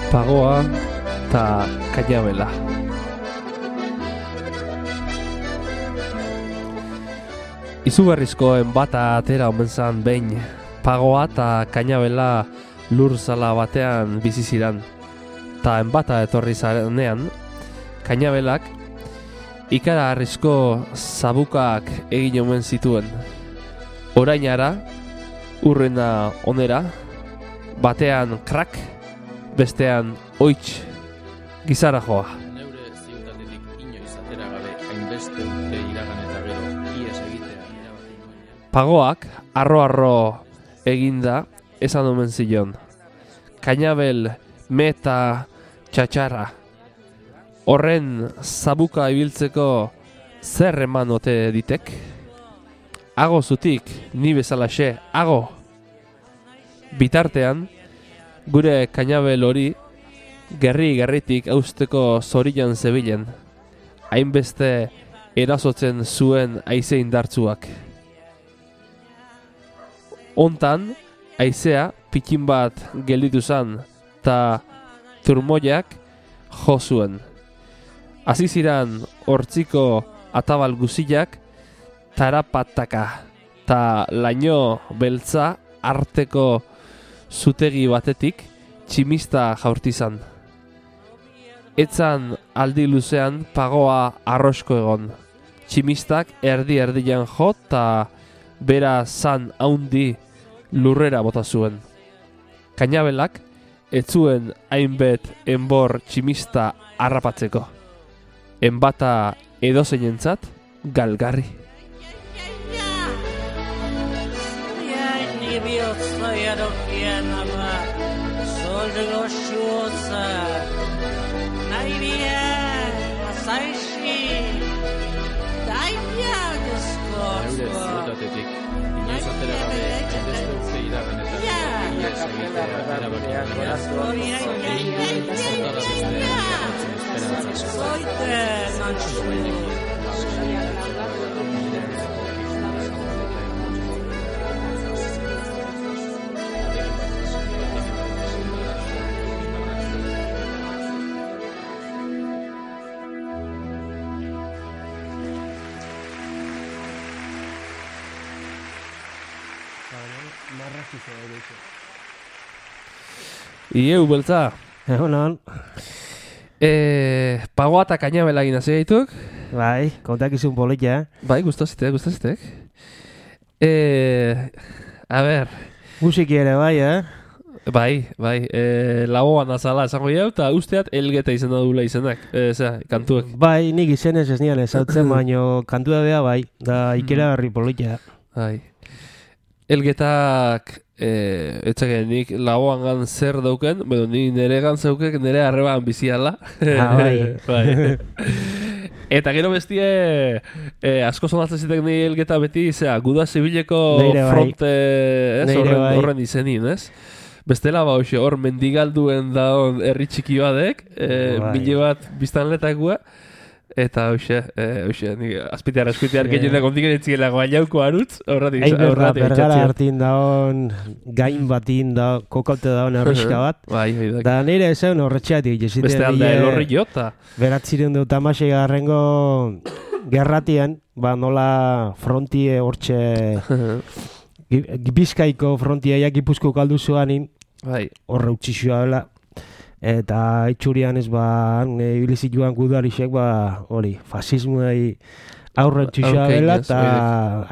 Pagoa eta Kainabela. Izugarrizkoen bata atera omen zan behin. Pagoa eta Kainabela lur zala batean bizi ziran. Ta enbata etorri zarenean, Kainabelak ikara harrizko zabukak egin omen zituen. Orainara, urrena onera, batean krak, bestean oitz gizara joa. Neure ziutatetik inoiz atera gabe hainbeste urte iragan eta gero ies egitea erabaki nuenean. Pagoak arro-arro eginda esan omen zion. Kainabel meta txatxarra. Horren zabuka ibiltzeko zer eman ote ditek? Ago zutik, ni bezalaxe, ago! Bitartean, gure Kainabel hori gerritik austeko zorian zebilen, hainbeste erasotzen zuen haize indartzuak. Hontan, haizea pikin bat gelditu zan, ta turmoiak jo zuen. Hasi ziran hortziko atabal guziak tarapataka, ta laino beltza arteko zutegi batetik tximista jaurtizan. Etzan aldi luzean Pagoa arrosko egon. Tximistak erdi-erdian jo eta bera zan haundi lurrera bota zuen. Kainabelak ez zuen hainbet enbor tximista harrapatzeko. Enbata edozeinentzat galgarri. Neure ziutatetik inoiz atera gabe hainbeste urte iragan eta gero ies egitea erabaki nuenean. Hortara beste erratzen esperantzak. Ieu beltza. Egunon. Pagoa eta Kainabela egin hasi gaituk. Bai, kontak izun politia. Bai, gustazitek. A ber. Musiki ere bai, Bai, lagoan azala esango jau, eta usteat Elgeta izena dula izenak, kantuek. Bai, nik izenez ez nian ezautzen, baino kantua bea bai, da ikera garri politia. Bai. Elgetak, etxake, nik lagoan gan zer dauken, bueno, ni nire gan zeukek nire arreban biziala. Bai. Bai. Eta gero bestie, asko sonatzen zitek nire Elgeta beti, Guda Zibileko fronte, horren izenin, ez? Bestela ba hoxe, hor mendigalduen daun herri txiki badek, mile bat biztanletakoa, eta hoxe, azpitear gehienak ondiken etziela guaiauko harutz, horratik etxatzen. Bergara hartin daun, gain batin da, kokaute daun arriska bat. Bai. Da nire esan horretxeatik, jesite. Beste alda elorri jota. Beratziren dut amasei garrengo gerratian, ba nola frontie hortxe... Bizkaiko frontiaiak Gipuzko kaldu zuanin, horre utxixua dela, eta itxurian ez ba, ibilizik joan gudarisek, ba, hori, fasismuei aurre utxixua dela, eta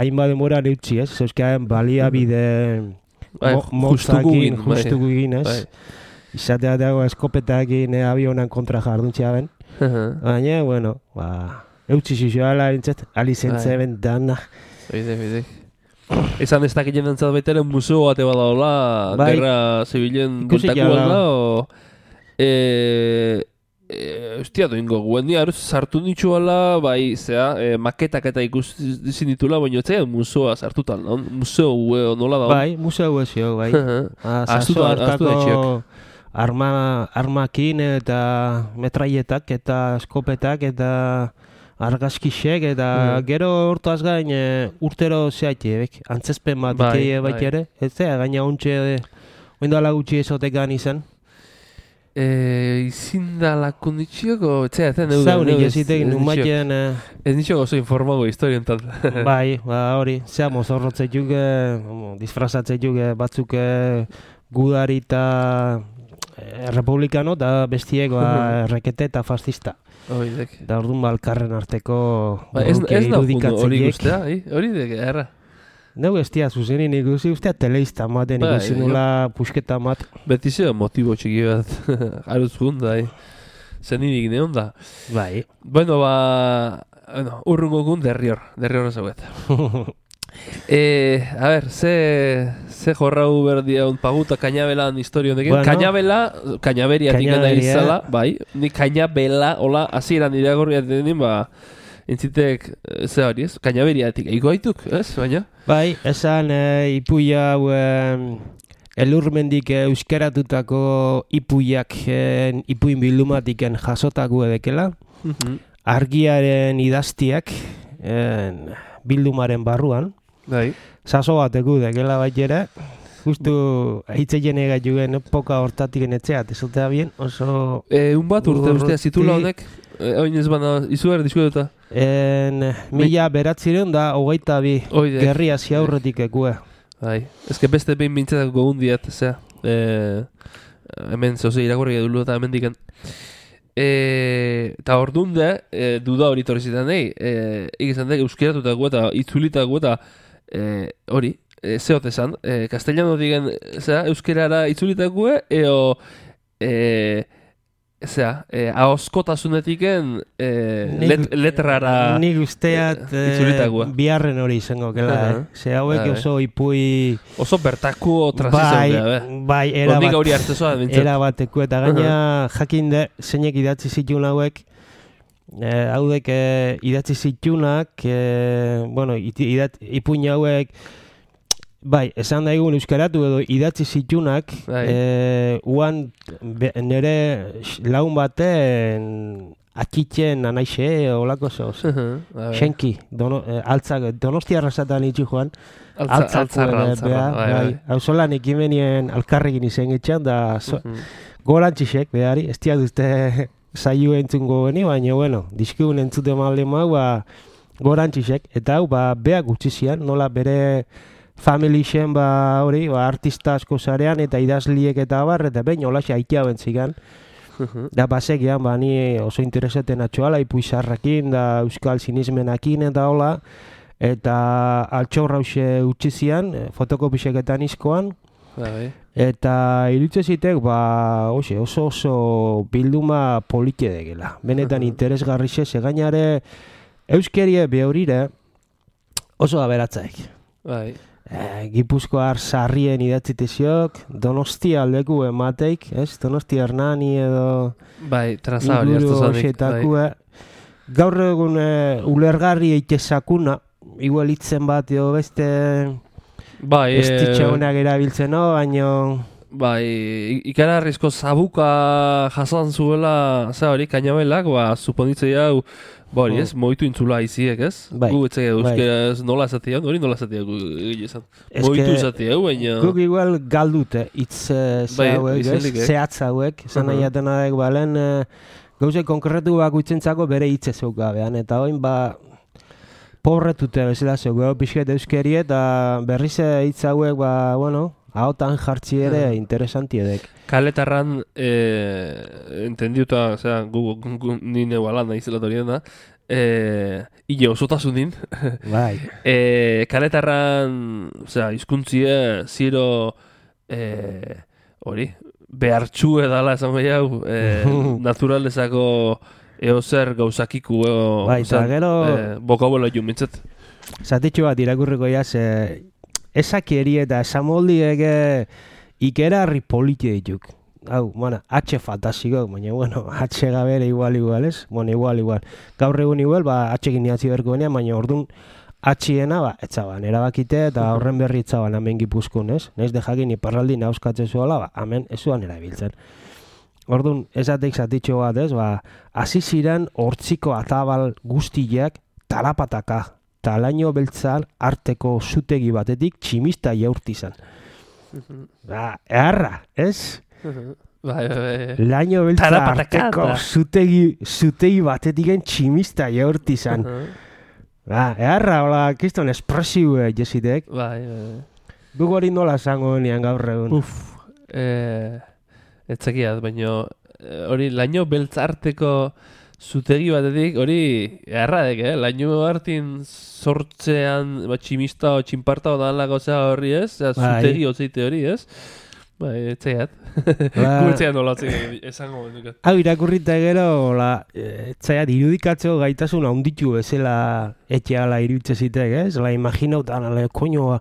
hainbat demora neutzi, ez? Zeuzkean baliabide motzakin, justuko egin, ez? Izatea dago eskopetakin avionan kontra jarduntxea ben, baina, bueno, ba, utxixua dela, alizentze ben dana. Bide. Esan ez dakit jenentzat baitaren museo bate badaola, gerra zibilen kontakuan da, Ostia doingo, guen dia sartu nitxuala, bai, maketak eta ikusi ditula, baina ez museoa sartutan, museo nola da? Bai, museo ezio, bai. Astu armakin eta metraietak eta eskopetak eta argazkixek eta gero hortaz gain urtero zehaitebek, antzezpen bat bai ere, ez da, gaina ontxe oindala gutxi ezotek gan izan. Izin da lakunditxioko, etzea, zen euden. Zaunik ezitek, numaiten... Ez nitxoko oso informago historientan. Bai, hori, zea mozorrotzeituk, disfrazatzetuk batzuk gudari eta republikano, da bestiek rekete eta fascista. Da orduan balkarren arteko buruke irudikatzeiek. Hori guztia, hori dek, erra. Neu estia zuzenin ikusi, ustea teleista maten ikusi nula pusketa mat. Beti zeo motibo txiki bat, aruz gunda, zeninik neon da. Bai. Bueno, urrungo gun derrior zauet. A ver, ze jorrau berdia paguta kainabelan historio honekin. Kainabela, kainaberia tikena izala, bai. Ni kainabela, hola, hasieran iragorria denin, entzitek, ze hori ez, kainaberiatik, eiko haituk, ez, baina? Bai, esan ipuia hau elurmendik euskeratutako ipuiak ipuin bildumatiken jasotako edekela. Argiaren idaztiak bildumaren barruan. Bai. Saso bateko dekela baitera. Justu hitzeien egaiuen epoka hortatik etxeat, ezotea bien, oso... Un bat urte zitula honek, oin ez bana, izu behar diskututa? 1992 gerria ziaurretik ekue. Bai, ezke beste behin bintzetak gogun diat, zera. Hemen zoze irakurri edulu eta hemen diken. Eta hor dunde, duda hori torrezitan nahi, egizan dek euskeratutako eta itzulitako eta hori, zeot esan, castellano digen, zera, euskerara itzulitako eo... ahoskotasunetiken letrara nik usteat biharren hori izango kela, hauek oso ipui oso bertaku transizio bai, era bateko eta gaina jakinde zeinek idatzi zituen hauek haudek idatzi zitunak ipuin hauek bai, esan daigun euskaratu edo idatzi zitunak uan nire laun baten akitzen anaixe olako zoz Xenki, Donostiarra zatan itxu joan Altzarra hau zolan ekimenien alkarrekin izen etxan da gorantxixek behari, ez duzte zaio entzungo geni, baina bueno, dizkigun entzute malde mau gorantxixek, eta hau beak utzizian, nola bere familien artista asko zarean eta idazliek eta abar, eta behin holaxe aitea bentzigan. Da basegian, ni oso interesaten atxoala, ipuizarrakin, da euskal sinismenakin eta hola, eta altxorra hause utzizian, fotokopiseketan izkoan, eta irutze zitek, oso bilduma polike degela. Benetan interesgarri ze gainare euskerie behorire oso aberatzaik. Bai. Gipuzkoar sarrien idatziteziok, Donostia aldeku emateik, ez? Donostia Hernani edo... Bai, traza hori hartu zanik. Gaur egun ulergarri eitezakuna, igual hitzen bat edo beste... Bai, estitxegunak erabiltzen, no? Baina... Bai, ikararrizko zabuka jasan zuela, hori, kainabelak, suponitzea hau... Bori ez, moitu intzula iziek ez? Gu etzea euskeraz nola esatea, hori nola esatea gu egizan. Moitu esatea, baina... Guk igual galdute hitz zehatz hauek, zan nahi atenadak balen, gauze konkretu bakuitzentzako bere hitz ezok gabean, eta oin pobretute bezala zego, pixket euskeri eta berriz hitz hauek, ahotan jartzi ere interesanti edek. Kaletarran, entendiuta, nine balan nahi zelatorien da, hile osotasunin. Bai. Kaletarran, hizkuntzie, ziro, hori, behartxu edala esan gehiago, naturalezako eozer gauzakiku, bai, eta gero... Bokabola jumintzet. Zatitxu bat irakurriko jaz, esakeri eta esamoldiek ikerarri politi dituk. Hau, H fantasiko, baina, H gabere igual, ez? Igual. Gaur egun igual, H-ekin niatzi berko benean, baina orduan atxiena, etzaban, erabakite, eta horren berri etzaban hemen Gipuzkoan, ez? Naiz de jakin iparraldi nauskatzen zuela, hemen ez zuan erabiltzen. Orduan, esatek zatitxo bat, ez? Hasi ziren hortziko atabal guztiak talapataka, talaino beltzal arteko zutegi batetik tximista jaurtizan. Eharra, ez? Laino beltza arteko zutegi batetik tximista jaurtizan. Eharra, hola, kiston espresiue jesitek. Duk hori nola zango nian gaur egun. Etzekiat, baina hori laino beltzarteko zutegi batetik, hori erradek, laino hartin sortzean tximista o txinparta odalako zea horri ez, zutegi otzeite hori ez, etzekiat, gurtzean nolatzen esango bendukat. Hau irakurrita gero, etzekiat, irudikatzeko gaitasun handitu bezala etxeala iruditzezitek, ez? Imaginautan, koño,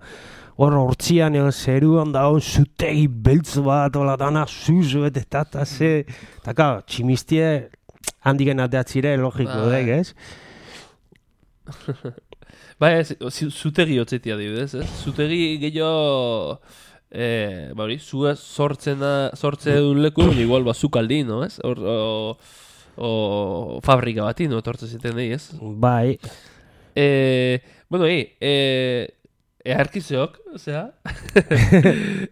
hortzian zeruan dagoen zutegi beltz bat, dana zuzu, eta ze, eta tximistie handiken ateatzire, logiko, ez? Zutegi otzetia dibidez, ez? Zutegi gehiago, zua sortze duen leku, igual zukaldi, no, ez? O fabrika bati, no, etortze ziten nahi, ez? Bai. Eharkizeok, zera,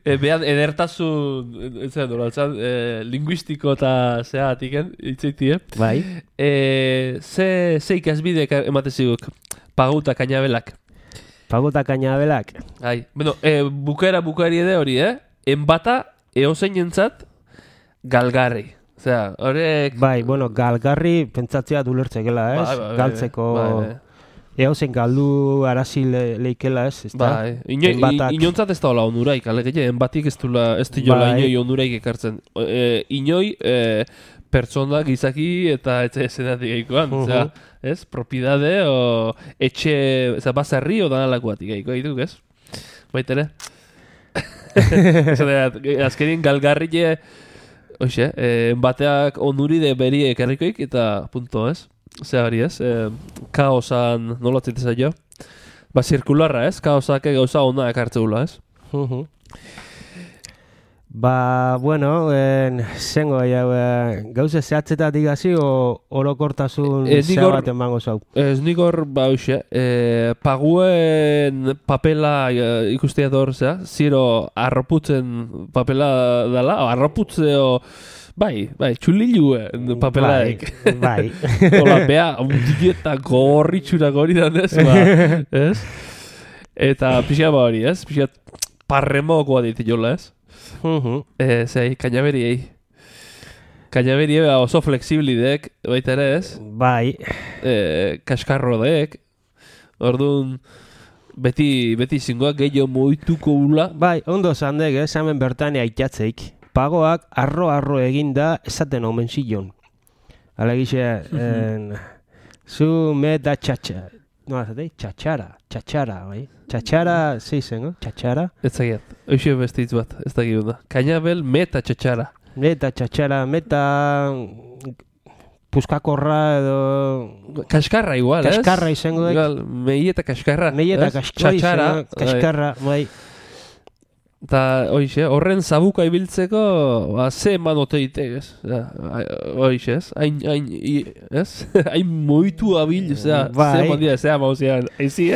behan edertasun, linguistiko eta zera atiken, itzaitie. Bai. Ze ikasbidek emateziguk, paguta kainabelak. Paguta kainabelak? Bukaeri ede hori, enbata eozein entzat galgarri. Zera, horrek... Bai, galgarri pentsatzea dulertzekela, ez? Galtzeko... Eozen galdu arazi leikela ez, ez da? Inontzat ez da hola onuraik, alegete, enbatik ez diola inoi onuraik ekartzen. Inoi pertsona gizaki eta etxe esenatik eikoan, ez? Propiedade o etxe, bazarri o danalakoatik eiko, egituk, ez? Baitere? Azkerin galgarri enbateak onuride beri ekarrikoik eta punto, ez? Zer hori ez, kaosan nolatzen zaio. Zirkularra ez, kaosak gauza ona ekartzeula ez. Zengo gauze zehatzetatik gazi orokortasun zea bat emango zau. Ez nikor, paguen papela ikustea dor, ziro arroputzen papela dela, arroputzeo Bai, txulilue papelaik. Bai. Ola, bea, undieta gorritxurak hori dan ez? Eta pixia hori, ez? Pixia parremokoa ditu jola, ez? Zei, kainaberiei. Kainaberiei oso fleksiblidek, baita ere, ez? Bai. Kaskarro dek. Orduan, beti zingoak gehiago moituko ula. Bai, ondo zandek, ez? Hemen bertania aitatzeik. Pagoak arro eginda esaten omen zilon. Alegixe, zu me da txatxa. No, azatei, txatxara, bai? Txatxara, zeizen, no? Txatxara? Ez zagiat, hoxe bestitz bat, ez da gibunda. Kainabel, meta txatxara. Meta txatxara, meta puskakorra edo... Kaskarra igual, ez? Kaskarra izango dek. Igual, meieta kaskarra. Meieta kaskarra, kaskarra, bai. Eta, horren zabuka ibiltzeko, ze eman oteitek, ez? Hoxe, ez? Hain moitu abil, ze eman dira, ze amauzean, eizi,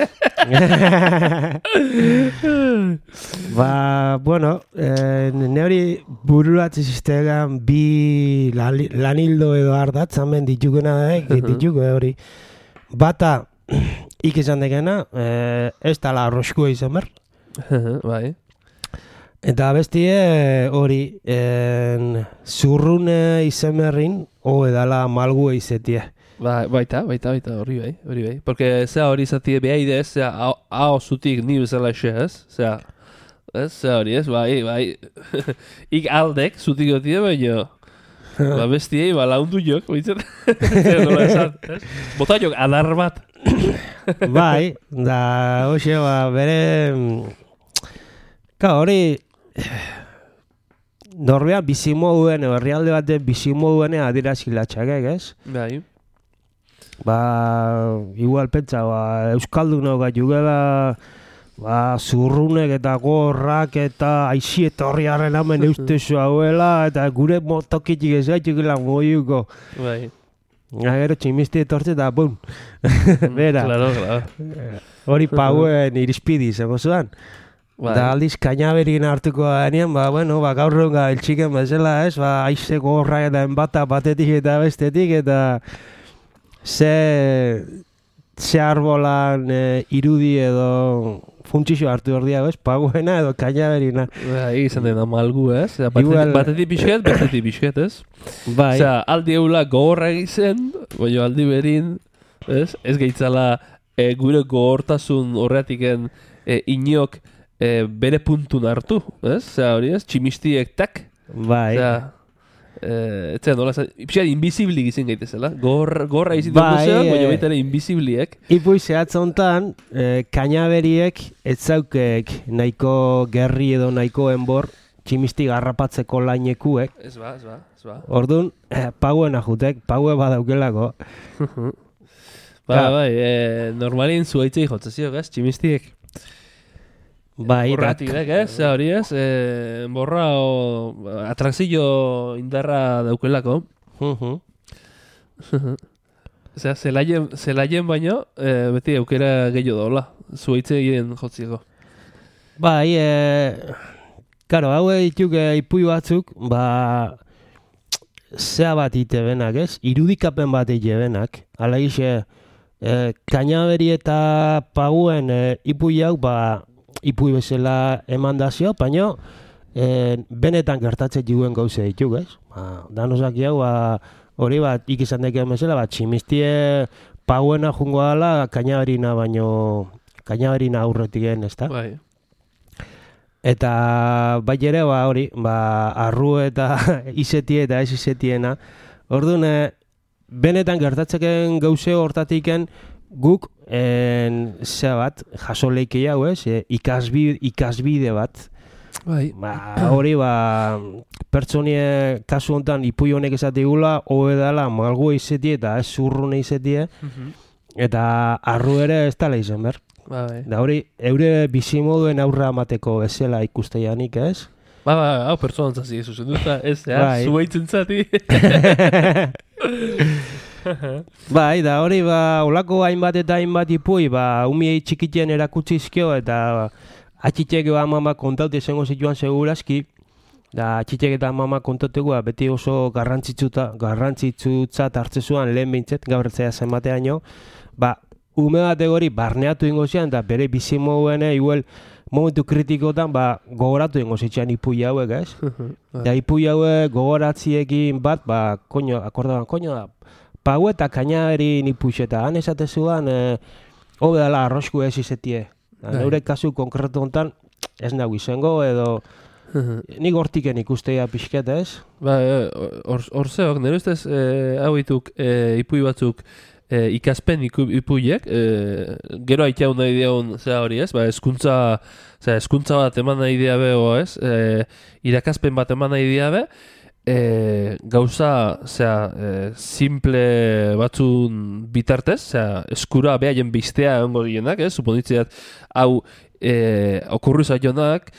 ne hori bururatze ziztegan bi lanildo edo ardatzamen ditukena dituko hori. Bata, ikizan degena, ez tala arroskua izan ber. Bai. Eta bestie hori zurrune izemerrin edala malgu eizetie. Baita, hori bai. Porque zea hori izatie behaide ez, zea hau zutik ni bezala xe ez, zea hori ez, bai. Ik aldek zutik gotie baino, bestiei laundu jok, bitzen, nola esan, ez? Bota jok adar bat. Bai, da hoxe bere... hori... Norbean bizimoduen, herrialde baten bizimoduen adirazilatxak, ez? Bai. igual pentsa, Euskaldunok jugela zurrunek eta gorrak eta aixi eta horriaren hamen eustezu hauela eta gure tokitik ez gaitukela moiuko. Bai. Gero tximisti etortze eta bum. Bera. Claro. Hori pauen irizpidi, zego zuan. Da aldiz kainaberin hartuko denean, gaur ronga eltxiken bezala, ez? Aize gorra eta enbata batetik eta bestetik eta ze arbolan irudi edo funtsixo hartu hor diago, ez? Paguena edo kainaberina. Izan dena malgu, ez? Batetik pixket, bestetik pixket, ez? Bai. Osea, aldi eula gogorra egizen, baina aldi berin, ez? Ez gaitzala gure gogortasun horretiken inok bere puntun hartu, ez? Osea, hori ez? Tximistiek tak. Bai. Osea, etzea nola, pixkat invisiblik izin gaitezela. Gorra izin dugu zean, baina baita ere invisibliek. Ipui zehatz hontan, kainaberiek etzaukek nahiko gerri edo nahiko enbor tximisti garrapatzeko lainekuek. Ez ba. Orduan, pauen ajutek, paue badaukelako. Bai, normalin zuaitzei jotzezio, ez? Tximistiek. Bai, borratik, ez? Hori ez? Borra o atrakzio indarra daukelako. Osea, zelaien baino, beti aukera gehiago daula. Zuaitze egin jotzieko. Bai, karo, hau dituk ipui batzuk, zea bat ite benak, ez? Irudikapen bat ite benak. Hala gize, kainaberi eta paguen ipui hau, ipui bezala eman dazio, baina benetan gertatzen diguen gauze dituk, ez? Danozak jau, hori bat ikizan dekeen bezala, tximistie pauena jungo dala, kainaberina kainaberina aurretik ez da? Bai. Eta bai ere, hori, arru eta izetie eta ez izetiena. Orduan, benetan gertatzeken gauze hortatiken, guk jasoleiki hau, ez? Ikasbide bat. Bai. Hori, pertsonie kasu honetan ipui honek esatigula, hobe dela malgu izetie eta ez zurrune izetie, eta arru ere ez dala izen ber. Bai. Da hori, eure bizimoduen aurra amateko bezala ikusteianik, ez? Hau pertsonantzazi zuzen duta, ez, zuaitzen zati. Bai, da hori, olako hainbat eta hainbat ipui, umiei txikitien erakutzizkio, eta atxitek mama kontaute zengo zituan segurazki, da atxitek eta mama kontauteko beti oso garrantzitzat hartzezuan lehen behintzet, gaur etzea zenbateaino, ume batek hori barneatu ingo zian, da bere bizimoduen igual momentu kritikotan gogoratu ingo zitxean ipui hauek, ez? Da ipui hauek gogoratziekin bat, akordaban, da, pagu eta kainaberi nipuix eta han esatezuan hobe dela arrosku ez izetie. Neure kasu konkretu honetan ez nago izango edo nik hortiken ikusteia pixket, ez? Hor zeok, nire ustez hau ituk ipui batzuk ikaspen ipuiek, gero haiteau nahi diagun zera hori, ez? Eskuntza bat eman nahi diabe, ez? Irakaspen bat eman nahi diabe, gauza, simple batzun bitartez, eskura behaien biztea ongo dienak, ez? Suponitzeat, hau okurru zaionak,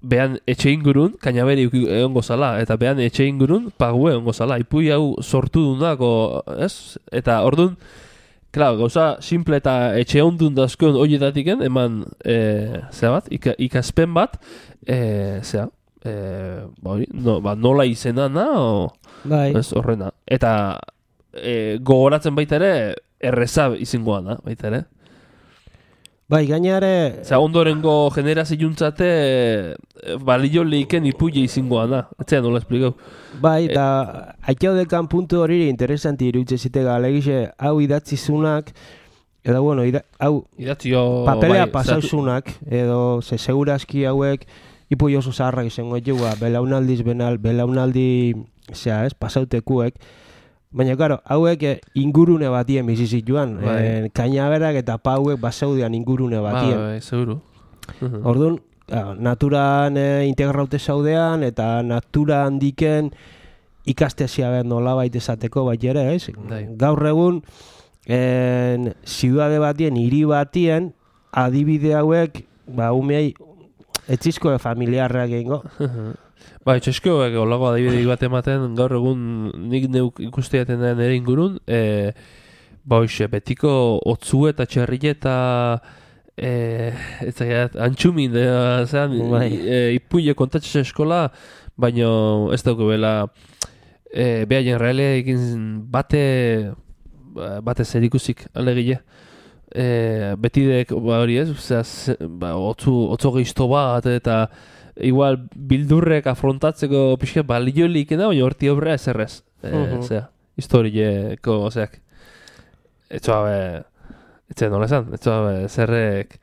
behan etxe ingurun, kainaberi egongo zala, eta behan etxe ingurun, pague egongo zala. Ipui hau sortu dunako, ez? Eta orduan, gauza simple eta etxe ondun dazkoen horietatiken, eman, ikaspen bat, nola izena horrena. Eta gogoratzen baita ere, errezab izingoa da, baita ere. Bai, gainare... ondorengo generazio juntzate balio lehiken ipuile izingoa da. Etzea nola esplikau. Bai, eta haiteo dekan puntu hori interesanti irutze zitega. Alegize, hau idatzizunak, edo, bueno, hau papelea pasauzunak, edo segurazki hauek ipui oso zaharrak izango etxua, belaunaldiz belaunaldi, pasautekuek. Baina, karo, hauek ingurune batien bizizituan. Kainaberak eta pauek basaudean ingurune batien. Bai, seguru. Orduan, naturan integraute zaudean eta natura handiken ikastezia behar nola baita esateko bat ere, ez? Gaur egun, ziudade batien, hiri batien, adibide hauek, umeei, etzizko familiarrak egingo. Ba, etxeskoak olago adibide bat ematen, gaur egun nik neuk ikusteaten den ere ingurun, betiko otzu eta txerri eta antxumin, ipuile kontatxe eskola, baina ez dauko bela behaien realea egin bate zerikusik alegile. Betidek hori ez, otzo gehizto bat eta igual bildurrek afrontatzeko pixka baliolik da, baina horti obrea ezerrez. Historieko, etxe nola esan, zerrek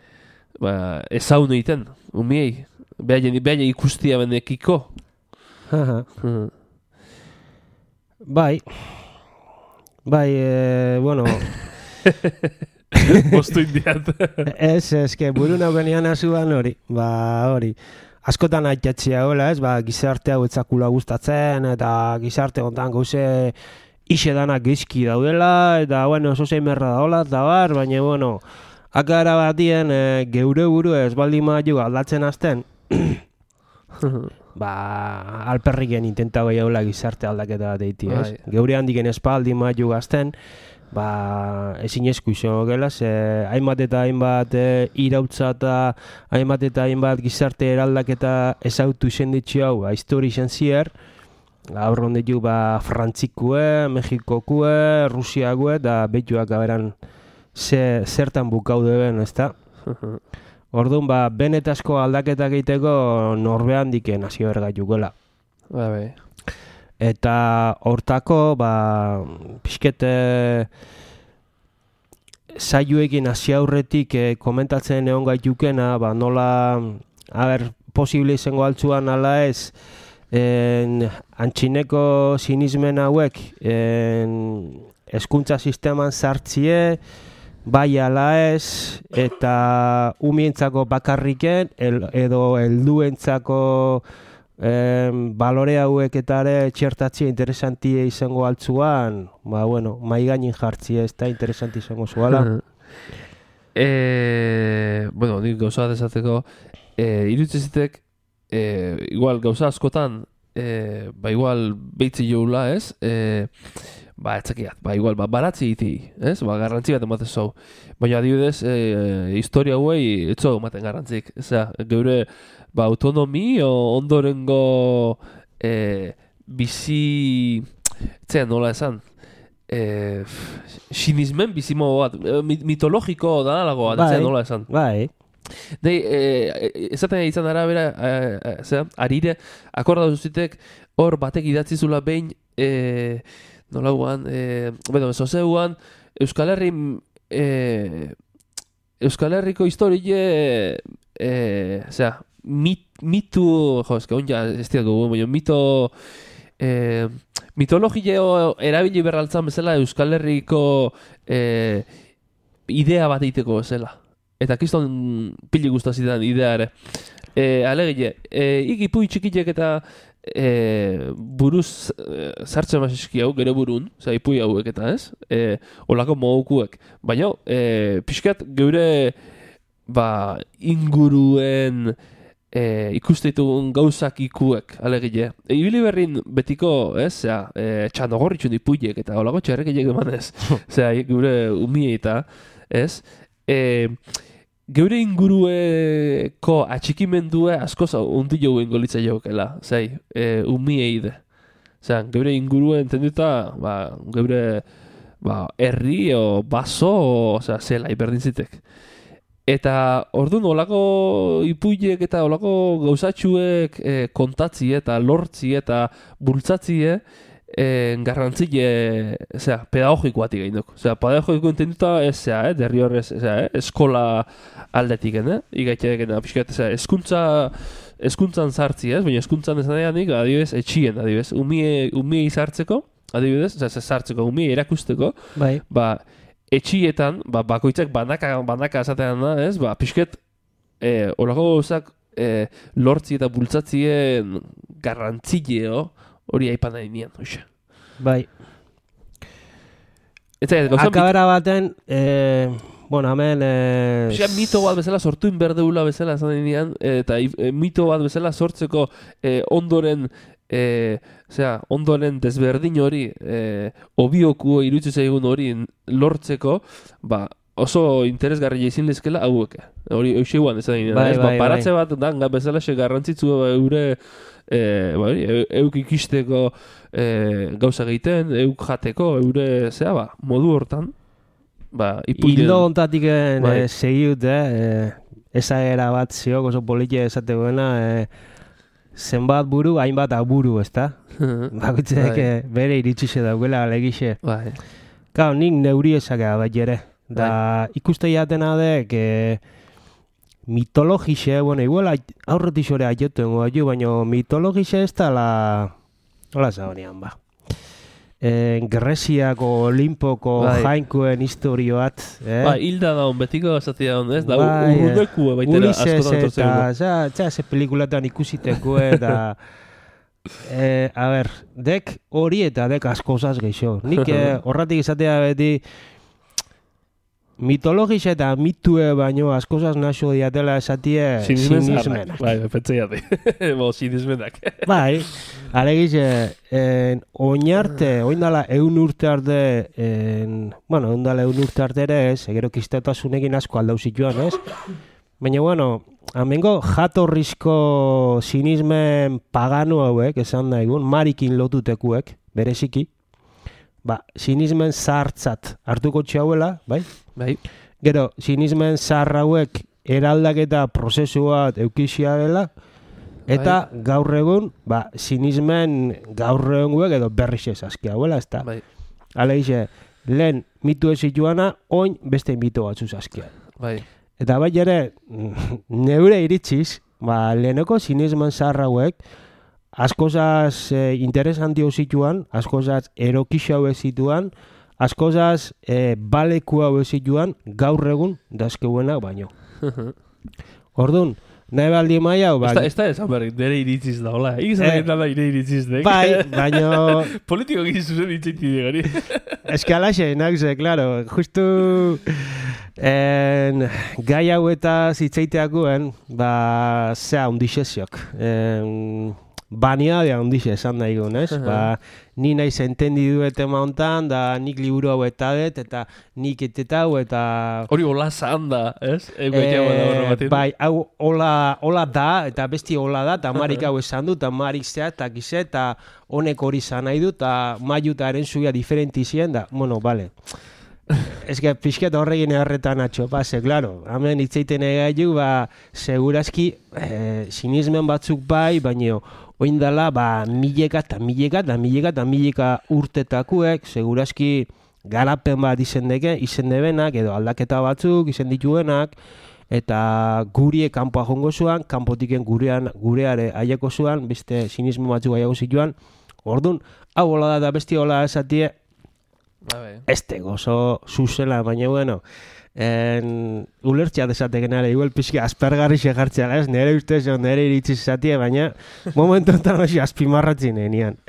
ezaun egiten, umiei, behaien ikustia benekiko. Bai, bueno... Bostu indiat. Ez, buru naukenian azuan hori, hori. Askotan aitatxia hola, ez, gizarte hau etzakula gustatzen, eta gizarte hontan gauze ixe danak gizki daudela, eta, bueno, oso zein merra daola, eta bar, baina, bueno, akara batien geure buru ez baldin maiu aldatzen azten, alperriken intenta gehiagola gizarte aldaketa bat eiti, ez? Geure handiken espaldi maiu gazten, ezin esku izango gela, hainbat eta hainbat irautza eta hainbat eta hainbat gizarte eraldaketa ezautu izan ditxu hau, histori izan zier, gaur honditu Frantzikue, Mexikokue, Rusiakue, eta betuak aberan zertan bukau deben, ezta? Orduan, benetazko aldaketak egiteko norbean diken nazio bergaitukela. Eta hortako, pixkete saioekin hasi aurretik komentatzen egon gaitukena, nola, posible izango altzuan ala ez, antxineko sinismen hauek hezkuntza sisteman sartzie, bai ala ez, eta umientzako bakarriken, edo helduentzako balore hauek eta ere txertatzea interesantia izango altzuan, maigainin jartzea ez da interesanti izango zuala. Nik gauza bat esateko, irutzezitek, igual gauza askotan, igual behitzi joula, ez? Etzakiat, igual, baratzi iti, ez? Garrantzi bat ematen zau. Baina adibidez, historia hauei etzo ematen garrantzik. Geure, autonomi ondorengo bizi, etzean nola esan, sinismen bizimo bat, mitologiko da nalago bat, etzean nola esan. Ezaten izan arabera, arire, akorda duzitek, hor batek idatzizula behin, nola guan, zozeuan, Euskal Herriko historie, mitu, mitologio erabili berraltzan bezala Euskal Herriko idea bat egiteko bezala. Eta kiston pili guztazitan idea ere. Alegile, ikipu txikilek eta buruz sartzen baseski hau, gero burun, ipui hauek eta ez, olako mogukuek. Baina, pixkat geure inguruen ikustitugun gauzak ikuek, alegile. Ibili berrin betiko, ez, txanogorritxun ipuiek eta olako txerrekilek emanez, geure umie eta, ez, geure ingurueko atxikimendue askoz undi jouen golitza jokela, umiei de. Geure inguruen entenduta, geure herri o baso, zela, iberdintzitek. Eta orduan olako ipuiek eta olako gauzatxuek kontatzi eta lortzi eta bultzatzie garrantzile, pedagogikoatik egin duk. Pedagogiko entenduta ez, derri horrez, eskola aldetik, ikaitek, pixkat, eskuntzan sartzi, baina eskuntzan ez nahianik, adibidez, etxien, adibidez, umiei sartzeko, adibidez, sartzeko, umiei erakusteko, etxietan, bakoitzak banaka esatean da, ez, pixket, olako gauzak lortzi eta bultzatzien garrantzileo hori aipan nahi nian, hoxe. Akabera baten, bueno, hemen... mito bat bezala sortu inberdeula bezala esan denean, eta mito bat bezala sortzeko ondoren desberdin hori, obioku irutze zaigun hori lortzeko, oso interesgarria izin lezkela hauek. Hori euseguan ez da denean. Paratze bat dan bezala garrantzitzu eure euk ikisteko gauza egiten, euk jateko, eure modu hortan. Hildo ontatik segiut, ezagera bat ziok oso politia esategoena, zenbat buru, hainbat aburu, ez da? Bakutzek bere iritzize daugela, alegixe. Kau, nik neuri ezagea bat jere. Da ikuste jatena dek mitologixe, bueno, igual aurretik zore aioten goa baina mitologixe ez da hola zagonean, Greziako, Olimpoko, Jainkuen historio bat. Hilda daun, betiko gazatia daun, ez? Da urruneku baitera askotan entortzen. Ulises, ze pelikulatan ikusiteko, eta... A ber, dek hori eta dek askozaz geixo. Nik horratik izatea beti... Mitologisa eta mitue baino askozaz naso diatela esatie sinismenak. Pentsei ati. Sinismenak. Alegize, oindala eun urte arte, oindala eun urte arte ere ez, egero kistatasunekin asko aldau zituan, ez? Baina, amengo jatorrizko sinismen pagano hauek, esan daigun, marikin lotutekuek, bereziki, sinismen zahartzat hartuko txauela, bai? Gero, sinismen zahar hauek eraldaketa prozesu bat eukizia dela, eta gaur egun, sinismen gaur egun edo berriz ez azki hauela, ez da? Alegize, lehen mitu ez zituana, oin beste mito batzu azkia. Eta ere, neure iritziz, leheneko sinismen zahar hauek, askozaz interesantio zituan, askozaz erokixo hau zituan, askozaz baleku hau zituan, gaur egun dazkeuenak baino. Orduan, nahi baldi maia hau... Ez da esan berrik, nire iritziz da, hola. Igizan egin dala nire iritziz dek. Baina... Politiko gizuzen itzaiti digari. Ez que alaxe, nakze, klaro, justu... Gai hau eta zitzaiteakuen, zea undixeziok. Baniadea ondixe esan daigun, ez? Ni nahi entendi duet ema hontan, da nik liburu hau eta det, eta nik etetau, eta... Hori hola zan da, ez? Hau hola da, eta besti hola da, eta marik hau esan du, eta marik zea, eta gize, eta honek hori zan nahi du, eta maiutaren zuia diferenti zien, da, bale. Ez que pixket horregin erretan atxo, klaro, hemen itzeiten egaiu, segurazki sinismen batzuk baina oindala, mileka urtetakuek, segurazki garapen bat izen debenak, edo aldaketa batzuk izen dituenak, eta gurie kanpoa jongo zuan, kanpotiken gureare aiako zuan, beste sinismen batzuk aiako zituan, orduan, hau hola da besti hola esatie, este gozo zuzela, baina ulertxea desatek nare, igual pixka aspergarri segartzea, ez? Nere ustez, nere iritziz esatie, baina momentu enten hori azpimarratzen enean.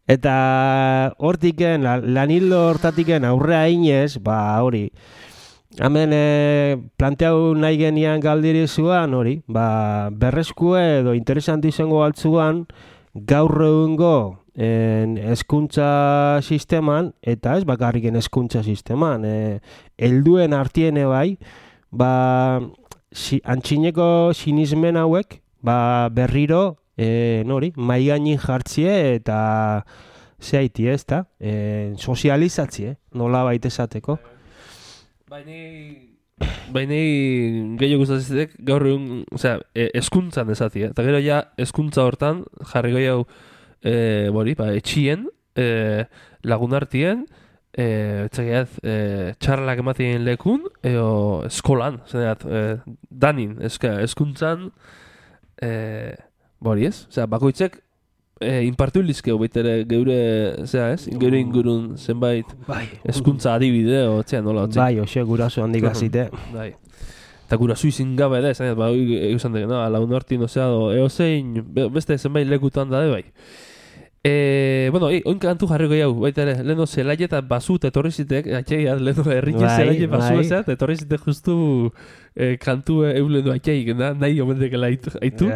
Eta hortiken, lanildo hortatiken aurrea inez, hori, hemen planteau nahi genian galdiri zuan, hori, berrezkue edo interesanti izango altzuan, gaur egungo hezkuntza sisteman, eta ez bakarriken hezkuntza sisteman, helduen artiene antxineko sinismen hauek, berriro, maigainin jartzie eta zehaiti ez da, sozializatzie, nola baita esateko. Baina gehiago gustazitek gaur egun, hezkuntzan esatia, eta gero ja hezkuntza hortan, jarri gehiago etxien, lagunartien, txarlak ematien lekun, edo eskolan, danin, eskuntzan, bakoitzek, inpartu lizkeu baitere geure, geure ingurun zenbait eskuntza adibide, nola, oxe, guraso handik azite. Eta guraso izin gabe da, esan dek, lagunartien, eozein, beste zenbait lekutan da, Bueno, oin kantu jarriko jau, baita ere, leheno zelaia eta basu etorri zitek, atxeia, leheno errike zelaia basu ezea, etorri zitek justu kantu eulenu atxeik, nahi omendekela aitu.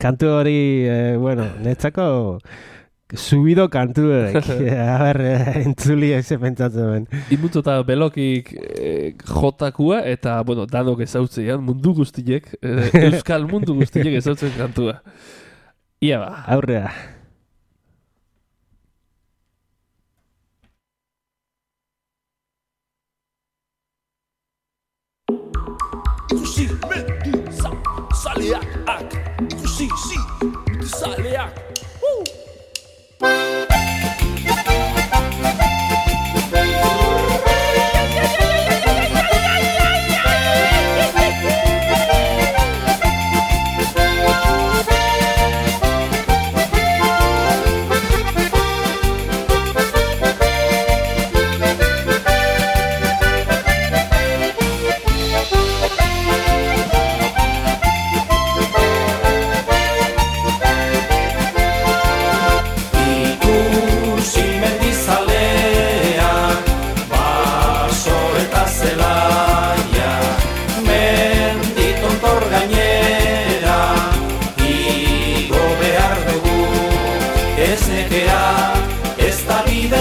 Kantu hori, bueno, netzako subido kantu edek, a ber, entzuli eze pentsatzen ben. Inmuntzu eta belokik jotakua, eta, bueno, danok ezautzean, mundu guztiek, euskal mundu guztiek ezautzen kantua. Ia ba. Aurrea. Ikusi zaleak, ikusi zaleak.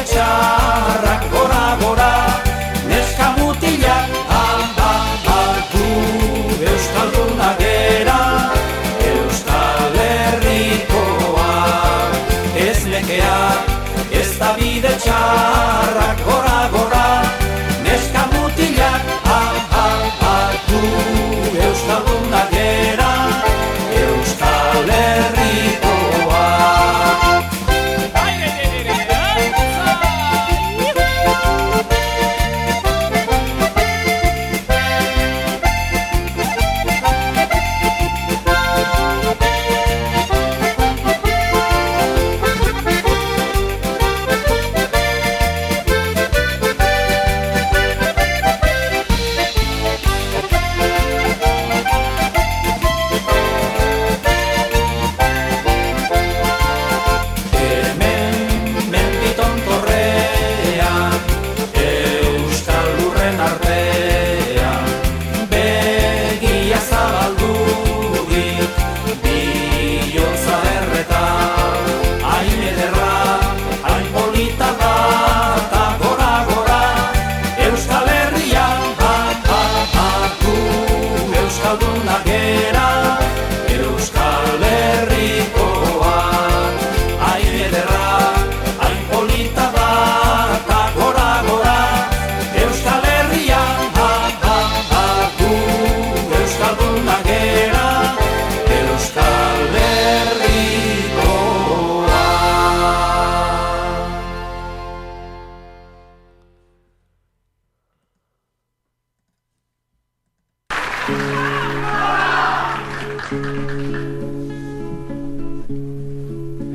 Txarrak gora, neska mutilak, gu euskaldunak gera, Euskal Herrikoa. Ez nekea, ez da bide txarrak gora, neska mutilak, gu euskaldunak gera, Euskal Herrikoa.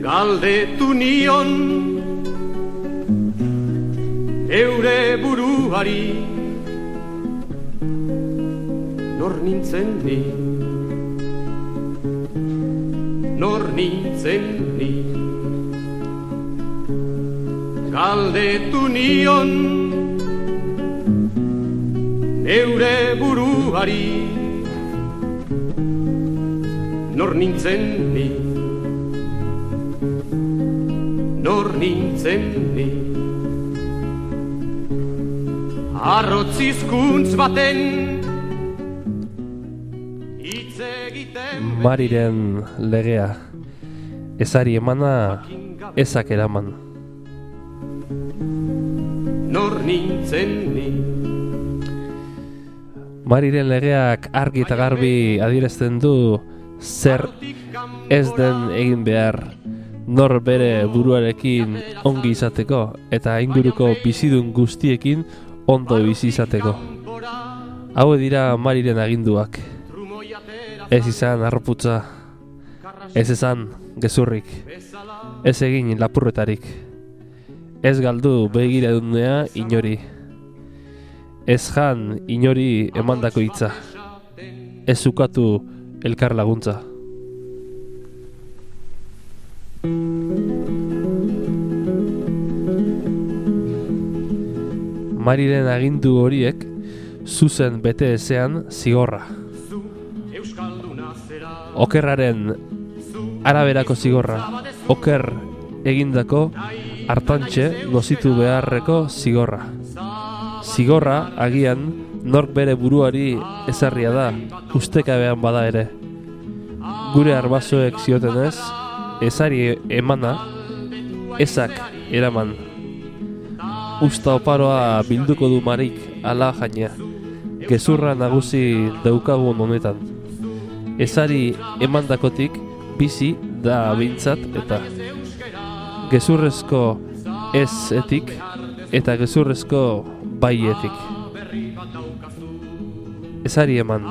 Galdetu nion eure buruari nor nintzen ni, Galdetu nion eure buruari nor nintzen ni, Arrotzizkuntz baten hitz egiten Mariren legea, ezari emana, ezak eraman. Nor nintzen ni. Mariren legeak argi eta garbi adierazten du zer ez den egin behar, nor bere buruarekin ongi izateko eta inguruko bizidun guztiekin ondo bizi izateko. Hau dira Mariren aginduak. Ez izan arroputza, ez izan gezurrik, ez egin lapurretarik, ez galdu begiradunea inori, ez jan inori emandako hitza, ez ukatu elkar laguntza. Mariren agindu horiek zuzen bete ezean zigorra. Okerraren araberako zigorra, oker egindako hartantxe nozitu beharreko zigorra. Zigorra agian nork bere buruari ezarria da, ustekabean bada ere. Gure arbasoek ziotenez, ezari emana, ezak eraman. Usta oparoa bilduko du Marik ala jaina, gezurra nagusi daukagun honetan. Ezari emandakotik bizi da bintzat eta gezurrezko ez-etik eta gezurrezko bai-etik. Ezari eman.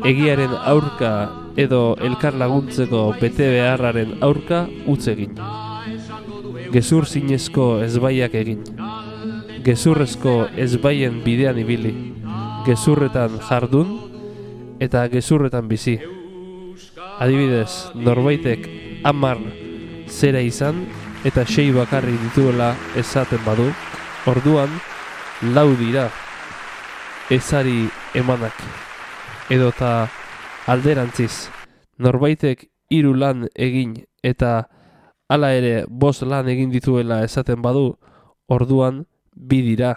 Egiaren aurka edo elkar laguntzeko bete beharraren aurka utz egin. Gezur zinezko ezbaiak egin. Gezurrezko ezbaien bidean ibili. Gezurretan jardun eta gezurretan bizi. Adibidez, norbaitek 10 zera izan eta 6 bakarrik dituela esaten badu, orduan 4 dira ezari emanak. Edota alderantziz, norbaitek 3 lan egin eta hala ere 5 lan egin dituela esaten badu, orduan 2 dira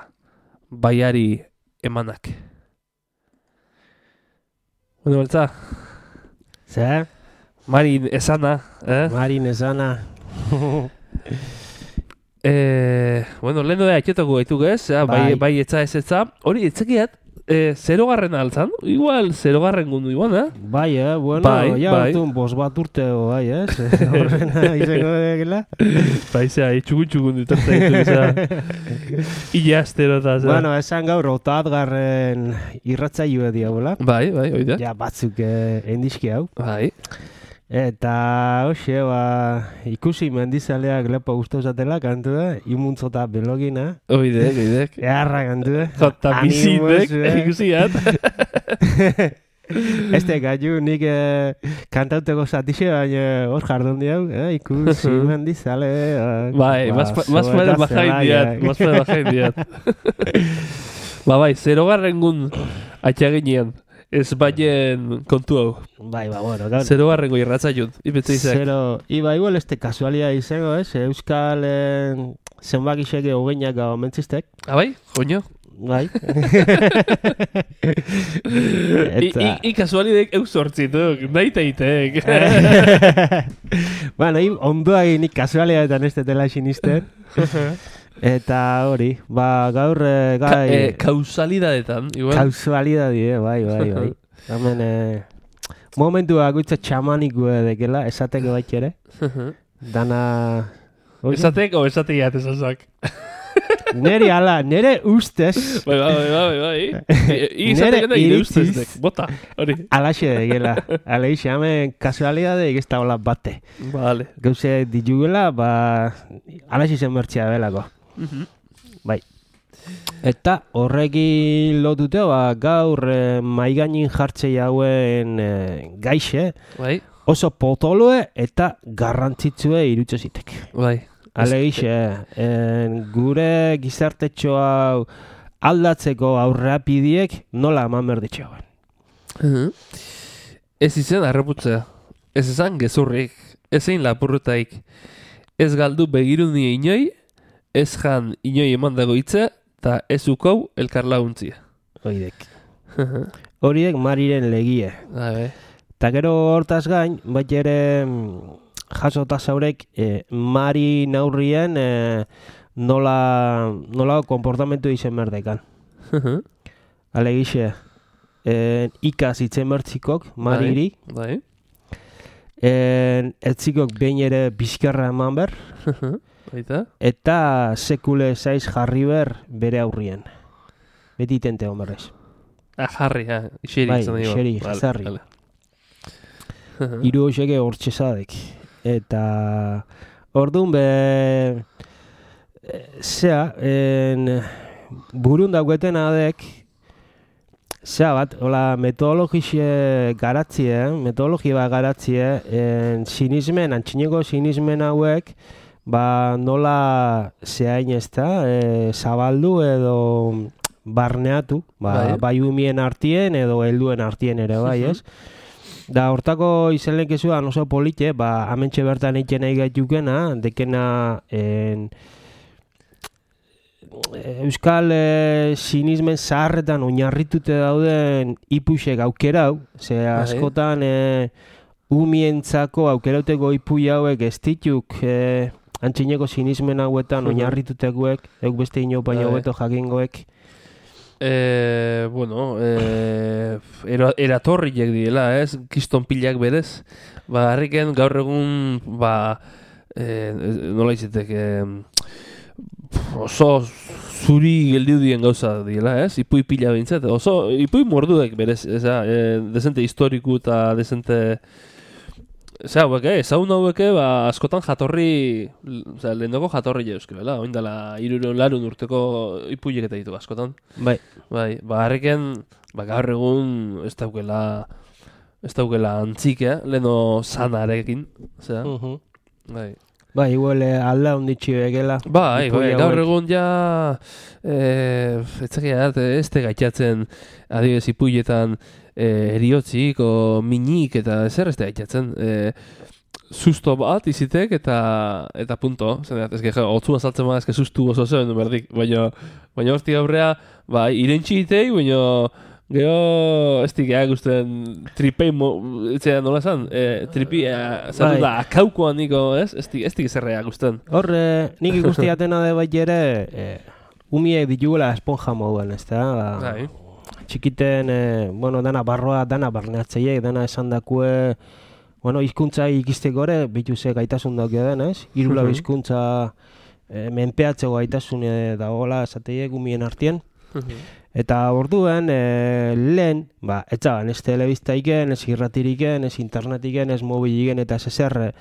baiari emanak. Bueno, beltza? Zer? Marin esana, Marin esana. Bueno, lehen dira etxetako gaituk ez, bai etza ez etza. Hori, etzekiat, 0garren altzan? Igual 0garren gundu igual, Bai, bueno, ja hartun 5 bat urteo, bai, ez? Horrena izango degela. Bai, zera, txukun dutartzen ditu, Ila asterota, zera. Bueno, esan gaur 8. irratzailua diagola. Bai, oida. Ja, batzuk endizki hau. Bai. Eta, hoxe, ikusi mendizaleak lepo guztu zatela, kantu da, imuntzota belogina. Oidek. Earra kantu da. Jota bizindek, ikusiat. Este gaiu nik kantauteko zatixe, baina hor jardun diau, ikusi mendizale. Bai, mazparen bajain diat. Bai, 0garren gun atxaginean. Ez baien kontu hau. Bai, bueno, gaur. 0garrengo irratzaiun, ipetze izak. 0, iba igual este kasualia izango, ez? Euskal zenbakiseke hogeinak gau mentzistek. Bai, joño. Bai. I kasualidek eus hortzituk, nahi teitek. Bueno, ondoa nik kasualiaetan ez detela sinisten. Eta hori, gaur gai... Kausalidadetan, igual. Kausalidadie, bai. Hemen, momentu bakoitza txamanik dekela, esateko baik ere. Dana... Esatek o esateiat esazak? Nere ustez... Bai. Izatek eda ire ustezdek, bota, hori. Alaxe dekela. Aleix, hemen kasualidade egizta hola bate. Vale. Gauze ditugela, alaxe zen mertxea belako. Bai. Eta horrekin lotute, gaur maigainin jartzei hauen gaixe, bai. Oso potoloe eta garrantzitsue irutxo zitek. Bai. Alegixe, gure gizartetxo hau aldatzeko aurreapidiek nola eman berditxo hauen. Ez izan arreputzea, ez izan gezurrik, ez egin lapurretaik, ez galdu begiruni inoi, ez jan inoi emandago hitza, eta ez ukau elkar laguntzia. Oidek. Horiek Mariren legie. Eta gero hortaz gain, bat ere jasota zaurek Mari naurrien nola komportamentu izen berdekan. Alegixe, ikaz itzen bertzikok Mariri. Bai. Etzikok behin ere bizkarra eman ber. Eta sekule zaiz jarri ber bere aurrien. Beti tente homerrez. Jarri, iseri. Bai, iseri, jarri. Hiru hoxeke hortxezadek. Eta orduan burun dauketen adek, bat, metodologia garatzie, sinismen, antxineko sinismen hauek, ba nola zehain ez da, zabaldu edo barneatu, bai umien artien edo helduen artien ere bai, ez? Da hortako izenlek ezuan oso polite, ba hementxe bertan eiken nahi gaitukena, dekena euskal sinismen zaharretan oinarritute dauden ipuxek aukerau, ze askotan umientzako aukerauteko ipui hauek ez dituk antxineko sinismen hauetan oinarritutekoek, euk beste inopain haueto jakingoek. Bueno, eratorriek diela, ez? Kiston pilak berez. Ba, harriken gaur egun, ba, nola izetek, oso zuri geldiu dien gauza diela, ez? Ipui pila bintzat, oso ipui morduek berez, desente historiku eta desente... Zer hauek, ezagun hauek, ba, askotan jatorri, lehendoko jatorri euskera, oindala 300 urteko ipuiek eta ditu askotan. Bai. Bai, ba, harreken, ba, gaur egun ez daukela antzik, leheno zanarekin, zera. Bai. Bai, igual alda onditxi begela. Bai, gaur egun ja, ez te gaitxatzen adibidez ipuietan, eriotzik o minik eta ezer ez da gaitxatzen. Susto bat izitek eta punto. Ez otzu azaltzen ma, ez sustu oso zuen berdik. Baina hortik aurrea, bai, irentxi itei, baina gero ez dikea guztien tripei, etzea nola esan, tripi, zatu da, akaukoan niko, ez dik zerrea guztien. Hor, nik ikustiatena de bai ere, umiek ditugula esponja moduen, ez da? Bai. Txikiten, bueno, dana barroa, dana barneatzeiek, dana esan dakue, bueno, hizkuntza ikisteko ere, bituzek gaitasun daukio den, ez? Irula hizkuntza menpeatzeko gaitasun dagoela esateiek umien artien. Eta orduen, lehen, ba, etxaban, ez telebiztaiken, ez irratiriken, ez internetiken, ez mobiliken eta ez ezer.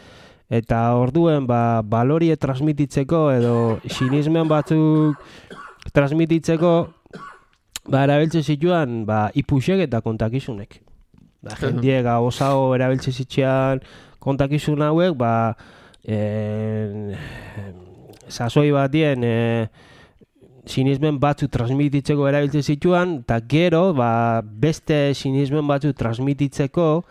Eta orduen, ba, balorie transmititzeko edo sinismen batzuk transmititzeko, ba, erabiltze zituan, ba, ipuxek eta kontakizunek. Ba, jendiek osago erabiltze zitzean kontakizun hauek, ba, sasoi batien sinismen batzu transmititzeko erabiltze zituan, eta gero, ba, beste sinismen batzu transmititzeko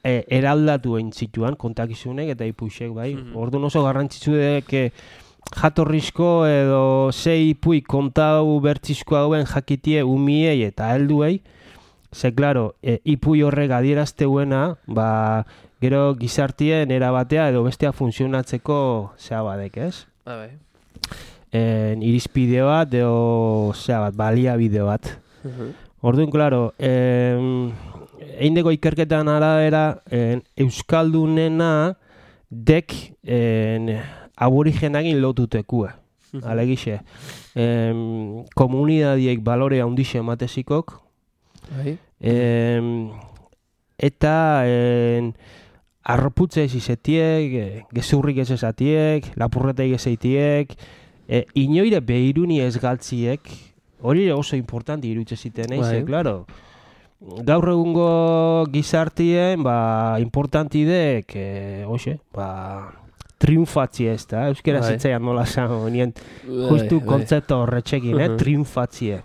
eraldatu egin zituan kontakizunek eta ipuxek, bai. Orduan oso garrantzitsu dek jatorrizko edo zei ipui kontau bertzizko hauen jakitie umiei eta helduei, ze, klaro, ipui horrek adierazteuena, ba, gero gizartien erabatea edo bestea funtzionatzeko zea badek, ez? Bai. Irizpide bat edo zea bat, baliabide bat. Orduan, klaro, eindeko ikerketan arabera euskaldunena dek aborigenakin lotutekue. Alegixe. Komunidadiek balore handixe ematezikok. Eta arroputze ez izetiek, gezurrik ez esatiek, lapurreteik ez eitiek, inoire behiruni ez galtziek, hori oso importanti irutze ziten, klaro. Gaur egungo gizartien, ba, importanti dek, hoxe, ba, triunfatzi ez da, euskera zitzaian nola zan, nien justu kontzepto horretxekin, triunfatzie.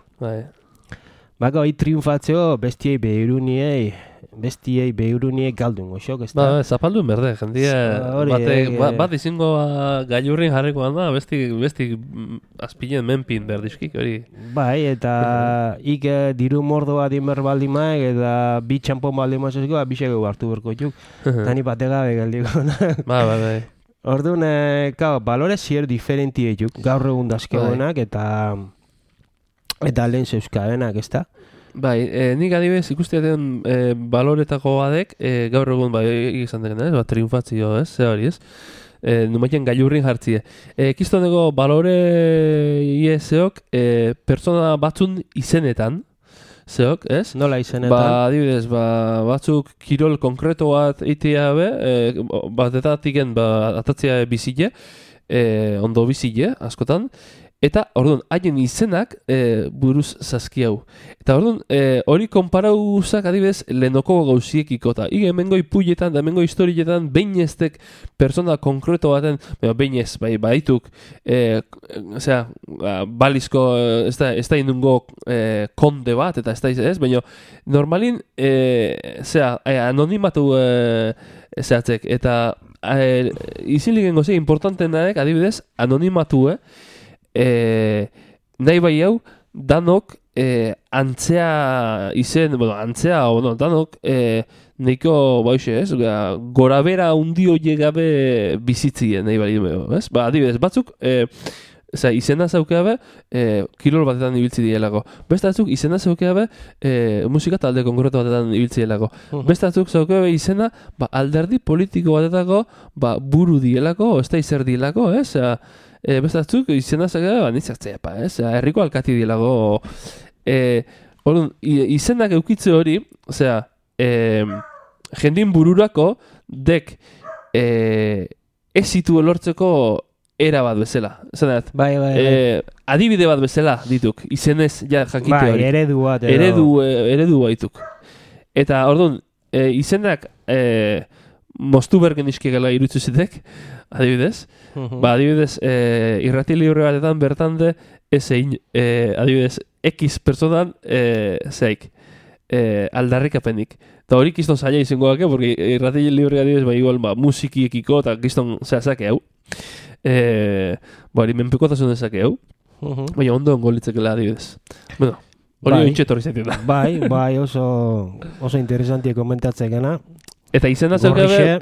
Bako, triunfatzeo bestiei behiruniei galdun goxok, ez da? Ba, zapaldun berde, jendia, bat izingo gailurrin jarrikoan da, besti azpilen menpin berdizkik, hori. Bai, eta ik diru mordo bat inber baldin maek, eta bi txampon baldin mazazko, biseko hartu berko txuk, eta ni bategabe galdiko. Bai. Orduan, balore zier diferenti etuk, gaur egun dazkegoenak, eta lehen zeuskadenak, ez da? Bai, nik adibidez ikustiaten baloretako badek, gaur egun bai izan denen, ez? Triunfatzio, ez? Ze hori, ez? Numaiten gailurrin jartzie. Kistoneko balore ieseok pertsona batzun izenetan, zeok, ez? Nola izenetan? Ba, adibidez, batzuk kirol konkreto bat eitea be, bat etatiken atatzea bizile, ondo bizile, askotan, Eta, orduan, haien izenak buruz zazki hau. Eta, orduan, hori konparauzak adibidez lehenoko gauziekiko. Eta, hemengo ipuietan, da hemengo historietan, behin eztek persona konkreto baten, behin ez, baituk, balizko, ez da indungo konde bat, eta ez da ez, baina, normalin, anonimatu zehatzek, eta izilik engozea importantenak, adibidez, anonimatu, nahi bai hau, danok antzea izen, danok neiko, ez, gorabera undio llegabe bizitzien, nahi bai ez? Adibidez, batzuk, izena zaukeabe, kilol batetan ibiltzi dielako. Beste batzuk, izena zaukeabe, musika talde konkreto batetan ibiltzi dielako. Beste batzuk zaukeabe izena, alderdi politiko batetako, buru dielako, ez da izer dielako, ez? Beste batzuk, izena zaukeabe, nitzartzea, ez? Herriko alkati dielako. Izenak eukitze hori, jendin bururako, dek ez zitu elortzeko era bat bezala. Bai. Adibide bat bezala dituk, izenez jakitu hori. Bai, eredu bat. Eredu baituk. Eta, orduan, izenak moztu bergen iskegela irutzu zitek, adibidez. Adibidez, irrati libre batetan bertande, adibidez, X personan, aldarrikapenik. Eta hori kiston zaila izango dake, porque irrati libre adibidez, igual, musikiekiko, eta kiston zake hau. Hori menpekotasun dezake hau. Baina ondo ongolitzekela adibidez. Bueno, hori ointxetorri zaitu da. Bai, oso interesantia komentatzekena. Eta izena zeukabe,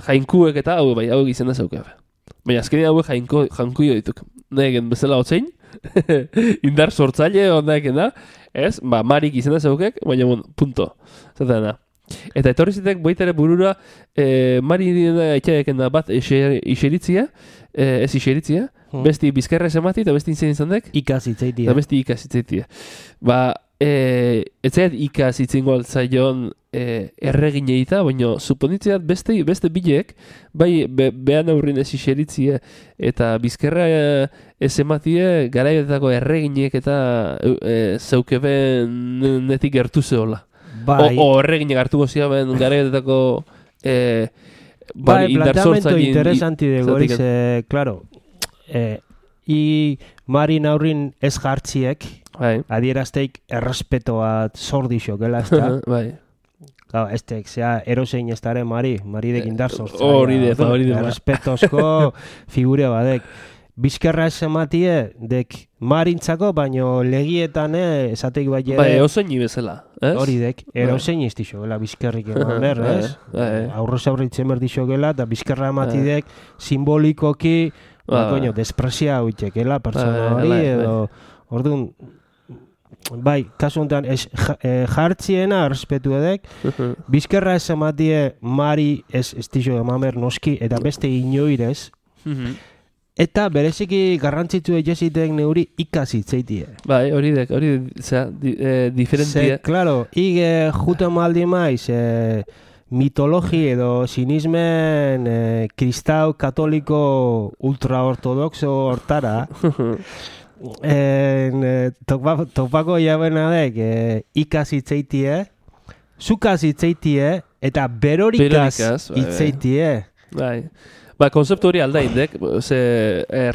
jainkuek eta hau izena zeukabe. Baina azkenean hauek jainkuio dituk. Negen bezala hotzein, indar sortzaile ondaeken da, ez? Marik izena zeukek, baina punto. Zaten da. Eta etorri zitek boitere burura Mari etxaeken da bat iseritzia, ez iseritzia, besti bizkarra esamati eta besti izan dek ikasitzaitia. Eta besti ikasitzaitia. Etzaiat ikasitzen zaion erregineita, baina suponitzeat beste bileek, bai behan aurrin ez iseritzia eta bizkarra ez ematie garaietako erreginek eta zeukeben netik gertu zehola. O erreginek hartu gozia ben garaietako planteamento interesanti de goriz, claro, Marin aurrin ez jartziek, adierazteik errespeto bat zordixokela, ez da? Bai. Estek, erosein ez dara Mari indar sortzaia. Hori de. Errespetozko figure badek. Bizkerra ez ematie, dek Marintzako, baino legietan esateik bai ere... Bai, oseini bezala, ez? Hori dek, erosein ez dixogela bizkerrik eman ber, ez? Aurrez aurritzen berdixogela, eta bizkerra ematidek simbolikoki, desprezia huitekela, pertsona hori, edo... Orduan, bai, kasu honetan, jartziena errespetu edek, bizkerra ez ematie Mari ez dixo emamer noski, eta beste inoirez, eta bereziki garrantzitzu egezitek neuri ikasitzeitie. Bai, hori diferentia. Claro, jute maldi maiz, mitologi edo sinismen kristau katoliko ultraortodoxo hortara, topako jabena dek ikasitzeitie, zukazitzeitie, eta berorikaz itzeitie. Bai. Konzeptu hori aldaindek,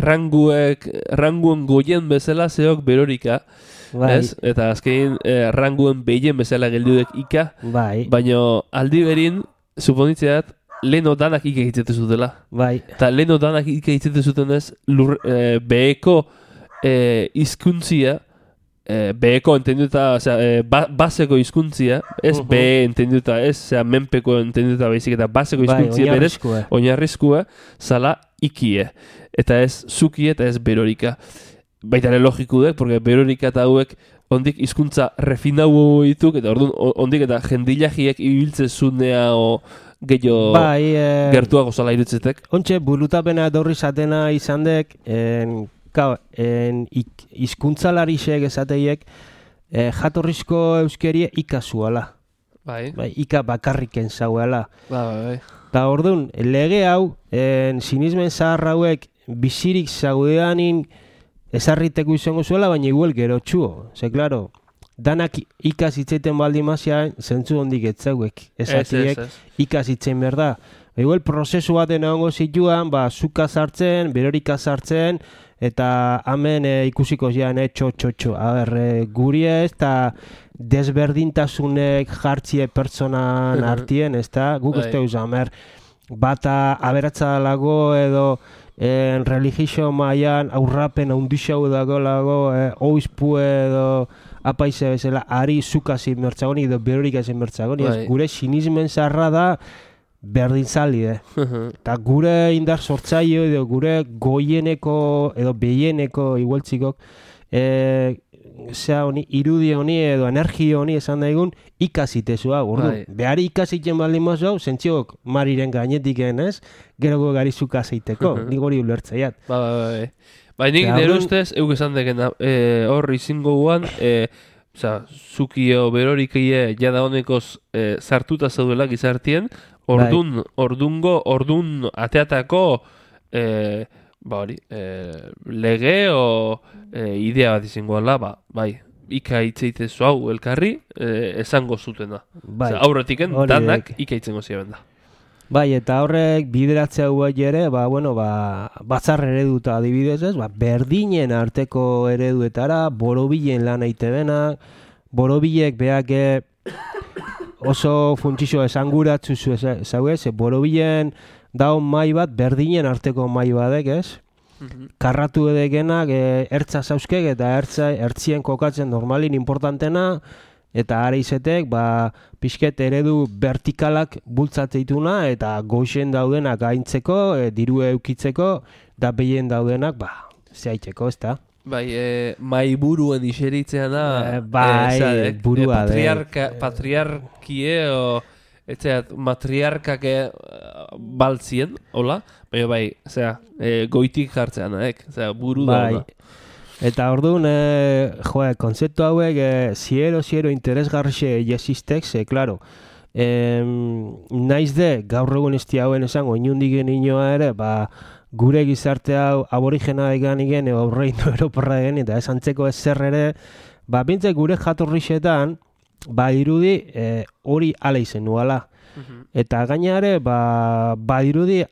ranguen goien bezala zeok berorika, ez? Eta azkein ranguen behien bezala geldudek ika, baina aldi berin, suponitzeat, leheno danak ika hitzetu zutela. Eta leheno danak ika hitzetu zuten ez, beheko izkuntzia, beheko entenduta, baseko izkuntzia, ez behe entenduta, ez menpeko entenduta baizik, eta baseko izkuntzia berez, oinarrizkua, zala ikie. Eta ez zukie eta ez berorika. Baita ere logiku dek, porque berorika eta hauek ondik izkuntza refinau dituk, eta orduan ondik eta jendilagiek ibiltze zunea o gehiago gertuago zala irutzetek. Ontxe, burutapena dorri zatena izan dek, izkuntzalarisek esateiek jatorrizko euskerie ikazuala. Bai. Ika bakarriken zauela. Bai. Ta orduan, lege hau, sinismen zahar hauek bizirik zaudeanin ezarriteko izango zuela, baina igual gerotxuo. Ze, klaro, danak ikas itzaiten baldi mazian, zentzu hondik etzauek. Ezatiek ikas itzain behar da. Igual prozesu baten egongo zituan, zuka sartzen, berorika sartzen, eta hemen ikusiko zian, txo. Guri ez, eta desberdintasunek jartzie pertsonan artien, ez da? Guk ez teuz, bata aberatza dalago edo religio maian aurrapen handixau dago oizpu edo apaize bezala ari zuka zin mertzagoni edo berorika zin mertzagoni. Gure sinismen zarra da berdintzali, eta gure indar sortzaio edo gure goieneko edo behieneko igualtzikok irudi honi edo energia honi esan daigun ikasitezua, behar ikasiten baldin mazau, zentziok mariren gainetik ez, gero gari zuka zeiteko, nik hori ulertzaiat. Bai, nik nire ustez, euk esan dekena, hor izingo guan, zukio berorikie jada honekoz sartuta zaudela gizartien, ordun ateatako lege o idea bat izangoela, bai, ika itzeitezu hau elkarri esango zutena. Aurretiken danak ika itzengo ziren da. Bai, eta horrek bideratzea guai ere, batzar ereduta adibidez ez, berdinen arteko ereduetara, borobilen lan aite benak, borobilek behak oso funtsizio esanguratzu zauez, borobilen daun mai bat, berdinen arteko mai badek ez, karratu edekenak ertza zauzkek eta ertzien kokatzen normalin importantena, eta ara izetek, pixket eredu vertikalak bultzateituna, eta goixen daudenak aintzeko, diru eukitzeko, da behien daudenak, zehaiteko, ez da? Bai, mai buruen iseritzean da, burua patriarkie, matriarkak baltzien, hola? Baina goitik jartzean, buru da. Eta orduan, konzeptu hauek, ziero interesgarrixe jesistek, klaro, naiz de, gaur egun izti hauen esango, inundik inoa ere, gure gizarte hau aborigena egan igen, aurreinu eroporra egan, eta esantzeko ez zer ere, bintzek gure jatorrixetan, irudi hori ala izen nuala. Eta gainare, irudi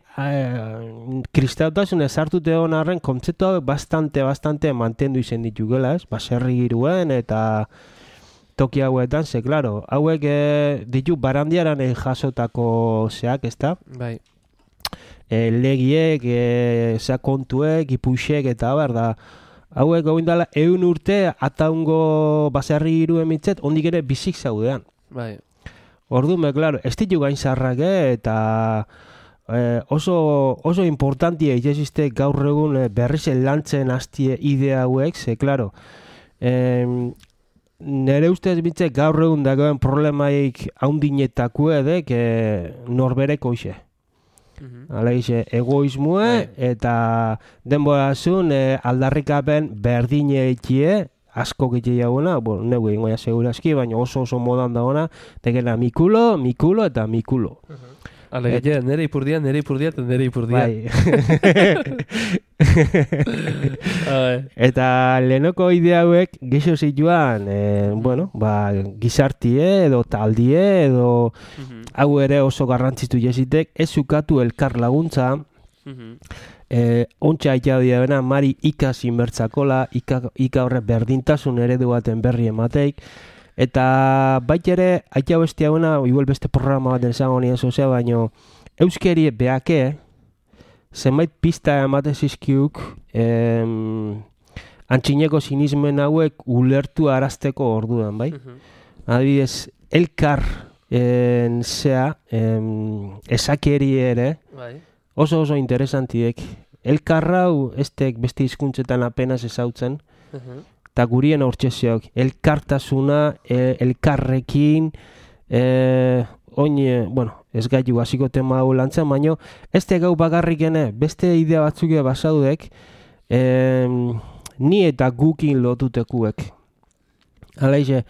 kristautasun ezartute honarren kontzeptu hau bastante mantendu izen ditugela, ez? Serri giruen eta toki hauetan, ze, klaro, hauek ditu barandiaran jasotako zeak, ez da? Bai. Legiek, kontuek, ipuixek eta da, hauek goindala 100 urte ataungo baserri giruen mitzet, ondik ere bizik zaudean. Bai. Orduan, klaro, ez ditu gain zarrak, eta oso importantia itxezizte gaur egun berriz lantzen hastie idea hauek, ze, klaro, nire ustez bintzek gaur egun dagoen problemaik haundinetako edek norbereko ise. Hala ize, egoismue eta denborazun aldarrikapen berdine ekie, asko gitxe jauna, neu egin goia segurazki, baina oso modan dagoena, tekena mikulo eta mikulo. Alegia, nere ipurdia, eta nere ipurdia. Bai. Eta lehenoko idea hauek gixo zituan, gizartie edo taldie edo hau ere oso garrantzitu jesitek, ez zukatu elkar laguntza, ontsa aitea dira mari ikasi mertzakola, ika horre berdintasun eredu baten berri emateik, eta bait ere, aitea bestia hona, igual beste programa baten zango nien zozea, baino euskeri behake, zenbait pista emate zizkiuk, antxineko sinismen hauek ulertu arazteko orduan, bai? Adibidez, elkar esakeri ere, oso interesantiek. Elkarrau estek beste hizkuntzetan apenas ezautzen, eta gurien hortxeziok. Elkartasuna, elkarrekin, ez gaitu hasiko tema hau lantzen, baina ez gau bakarrikene, beste idea batzuk basaudek, ni eta gukin lotutekuek. Hala ize,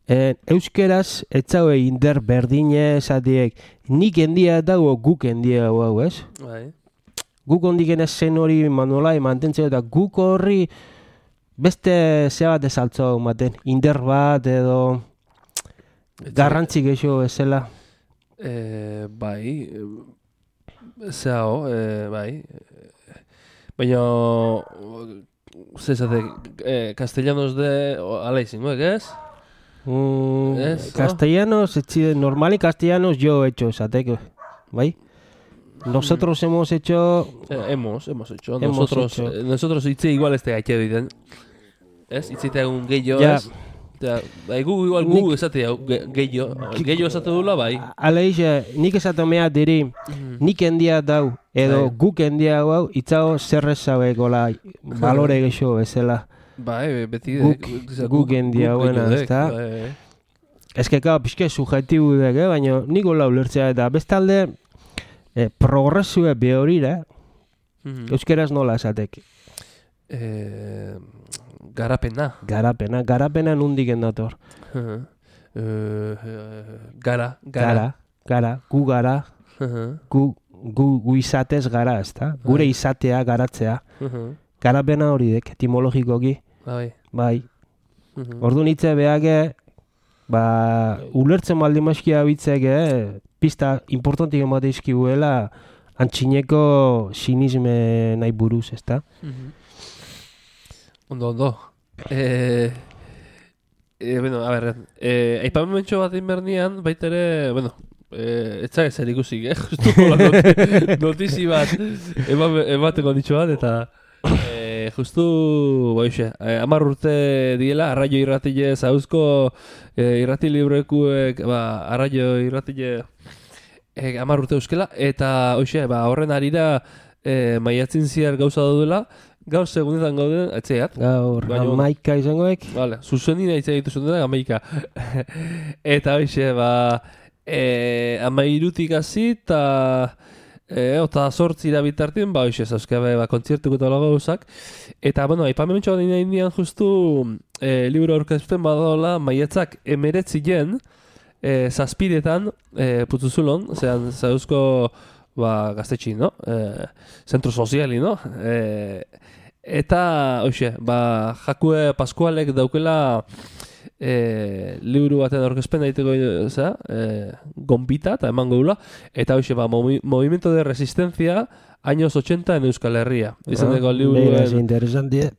Euskeraz, etzaue inder berdine esatiek, nik endia dago guk endia hau, ez? Bai. Guk ondiken zen hori manolai mantentzeko eta guk horri beste zea bat ezaltzo maten, inder bat edo garrantzi gehiago ezela. Bai, zehao, bai. Baina, zezate, castellanos de ala izangoek, ez? Castellanos, normali castellanos yo he hecho, esateko, bai? Nosotros hemos hecho... Hemos hecho. Nosotros hitze igual este gaitxe diten. Ez? Hitzeite egun gehiago, ez? Gu esate gehiago esate dula, bai. Aleix, nik esate mea diri, nik endia dau, edo guk endia hau, itzao zerrez zabekola, balore gehiago ezela. Bai, beti guk endia hauena, ez da? Ez que, pixke subjetibu dek, baina nik hola ulertzea eta bestalde progresue behorira, euskeraz nola esatek? Garapena nundik endator. Gara, gu gara, gu izatez gara, ez da? Gure izatea, garatzea. Garapena hori dek, etimologikoki. Bai. Ordu nitze behake, ulertzen baldin maskia bitzek, pista importantik emate izkibuela antxineko sinisme nahi buruz, ez da? Ondo. Bueno, a ver, aipamenmentxo bat inbernian, baitere, bueno, etzak ezer ikusik, justu notizi bat emateko ditxo bat, eta justu, boixe, 10 urte diela, Arraio irratile zauzko irrati librekuek, Arraio irratile 10 urte euskela, eta hoxe, horren arira maiatzin ziar gauza daudela, gaur segundetan gauden, etxeat. Gaur, amaika izangoek. Vale, zuzenina itxe dituzun dena, amaika. Eta hoxe, 13 hasi, eta 8 bitartien, hoxe, zauzkabe, kontzertuko eta lago gauzak. Eta, bueno, aipamenetxo bat indian justu libro aurkezten badola, maiatzak 19 zazpidetan putzuzulon, zean zauzko gaztetxin, no? Zentro soziali, no? Eta, hoxe, Jakue Paskualek daukela liburu baten aurkezpen daiteko gonbita eta eman gaula. Eta, hoxe, Movimiento de Resistencia, años 80 en Euskal Herria. Izaneko liburuen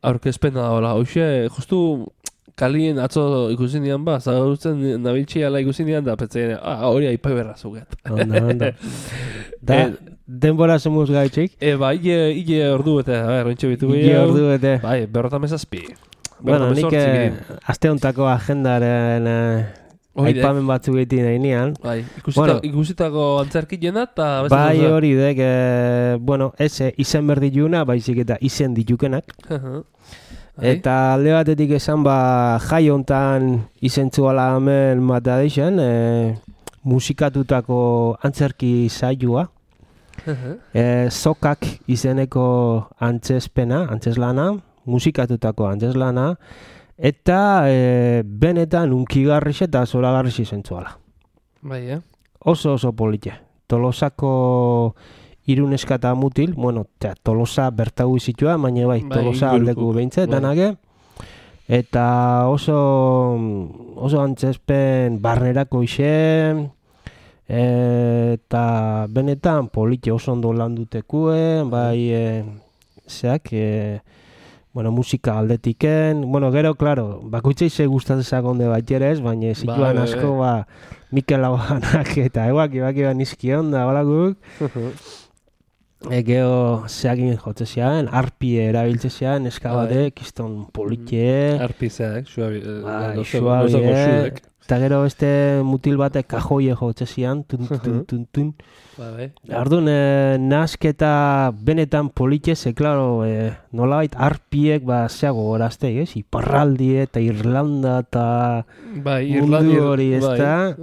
aurkezpen daola. Hoxe, justu kalien atzo ikusi nian zagautzen nabiltxiala ikusi nian da, petzean, hori aipai berra zuget. Ondo. Denbora zemuz gaitxik? Ile ordu bete, rentxe bitu gehiago. Ile ordu bete. Bai, 57. Bueno, nik aste hontako agendaren aipamen batzuk egiten nahi nian. Bai, ikusitako antzerkilena eta... Bai, hori dek, bueno, izen berdiluna, baizik eta izen ditukenak. Eta alde batetik esan, jai hontan izentzuala hemen matea deixen, musikatutako antzerki saioa. Sokak izeneko antzeslana, musikatutako antzeslana, eta benetan unkigarrix eta zoragarrix izentzuala. Bai, Oso polite. Tolosako Iruneska eta mutil, bueno, Tolosa bertagu izitua, baina bai, Tolosa aldeku behintzet, danake. Eta oso antzespen barnerako ise, eta benetan polite oso ondo landutekue, bai, bueno, musika aldetiken, bueno, gero, claro, bakoitzei ze gustatzezak onde baiterez, baina zituan asko, Mikel Labanak eta eguak nizki onda, balakuk. Gero zeakin jotze zean, arpie erabiltze zean, eskabatek, kiston polite. Arpi zeak, suabe. Eta gero beste mutil batek kajoie jotze zean, tun. Ardun, nasketa benetan polite, ze, klaro, nolabait arpiek zeago gorazte, Iparraldi eta Irlanda eta mundu hori, ez da?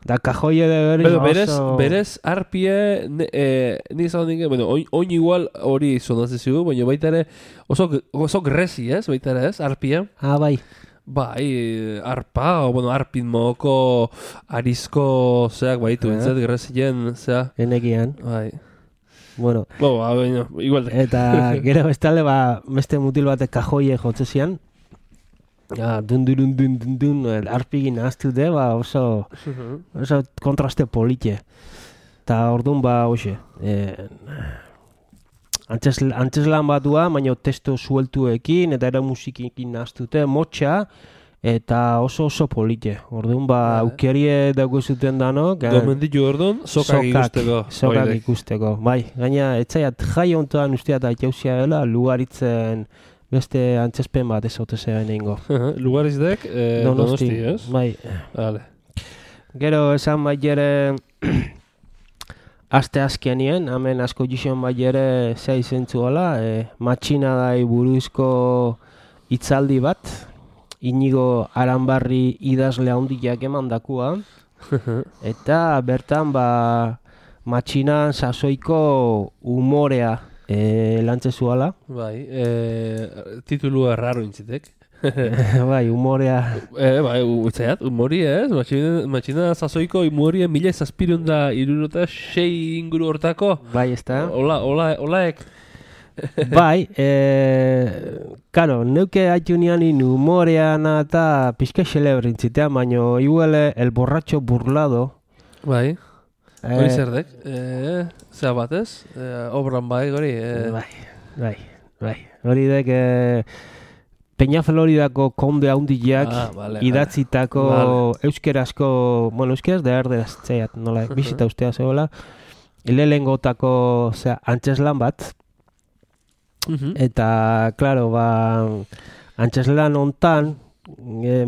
Da kajoie de berriz oso... Berez, arpie, nizan dinge, bueno, oin igual hori zonatzen zigu, baina baita ere oso grezi, ez? Baita ere, ez? Arpie. Bai. Bai, arpa, o bueno, arpin mogoko arizko zeak baitu, entzat, gerrezien, zea. Enekian. Bai. Bueno. Igual. Eta gero bestalde, beste mutil batek kajoie jotze zian. Dun, arpigin ahaztute, oso kontraste politxe. Eta orduan, hoxe, antzeslan batua, baina testo sueltuekin, eta era musikikin nahaztute, motxa, eta oso polite. Orduan, aukerie dago zuten danok. Gomenditu orduan, sokak ikusteko. Sokak ikusteko, bai. Gaina, etzaiat jai ontoan usteat aitausia dela, lugaritzen beste antzespen bat ez ote zeben egingo. Lugarizdek, Donosti, ez? Bai. Vale. Gero, esan bai ere... Aste azkenien, hemen asko gizon bai ere zea izentzuela, matxinadai buruzko hitzaldi bat, Inigo Aranbarri idazle handiak emandakua, eta bertan matxinan sasoiko umorea lantzezuala. Bai, titulu erraro intzitek. Bai, humorea. Bai, utzaiat, humori ez? Matxina sasoiko humoria 1776 inguru hortako. Bai, ez da. Olaek. Bai, karo, neuke haitunianin humoreana eta pixka xelebrintzitean, baino iguele el borracho burlado. Bai, hori zerdek. Zea batez, obran bai, hori. Bai. Hori dek... Peña Floridako konde handiak idatzitako euskerazko, bueno, euskeraz da erderaz txaiat, nola, bizita ustea zegoela, lehengotako antzeslan bat, eta, klaro, antzeslan hontan,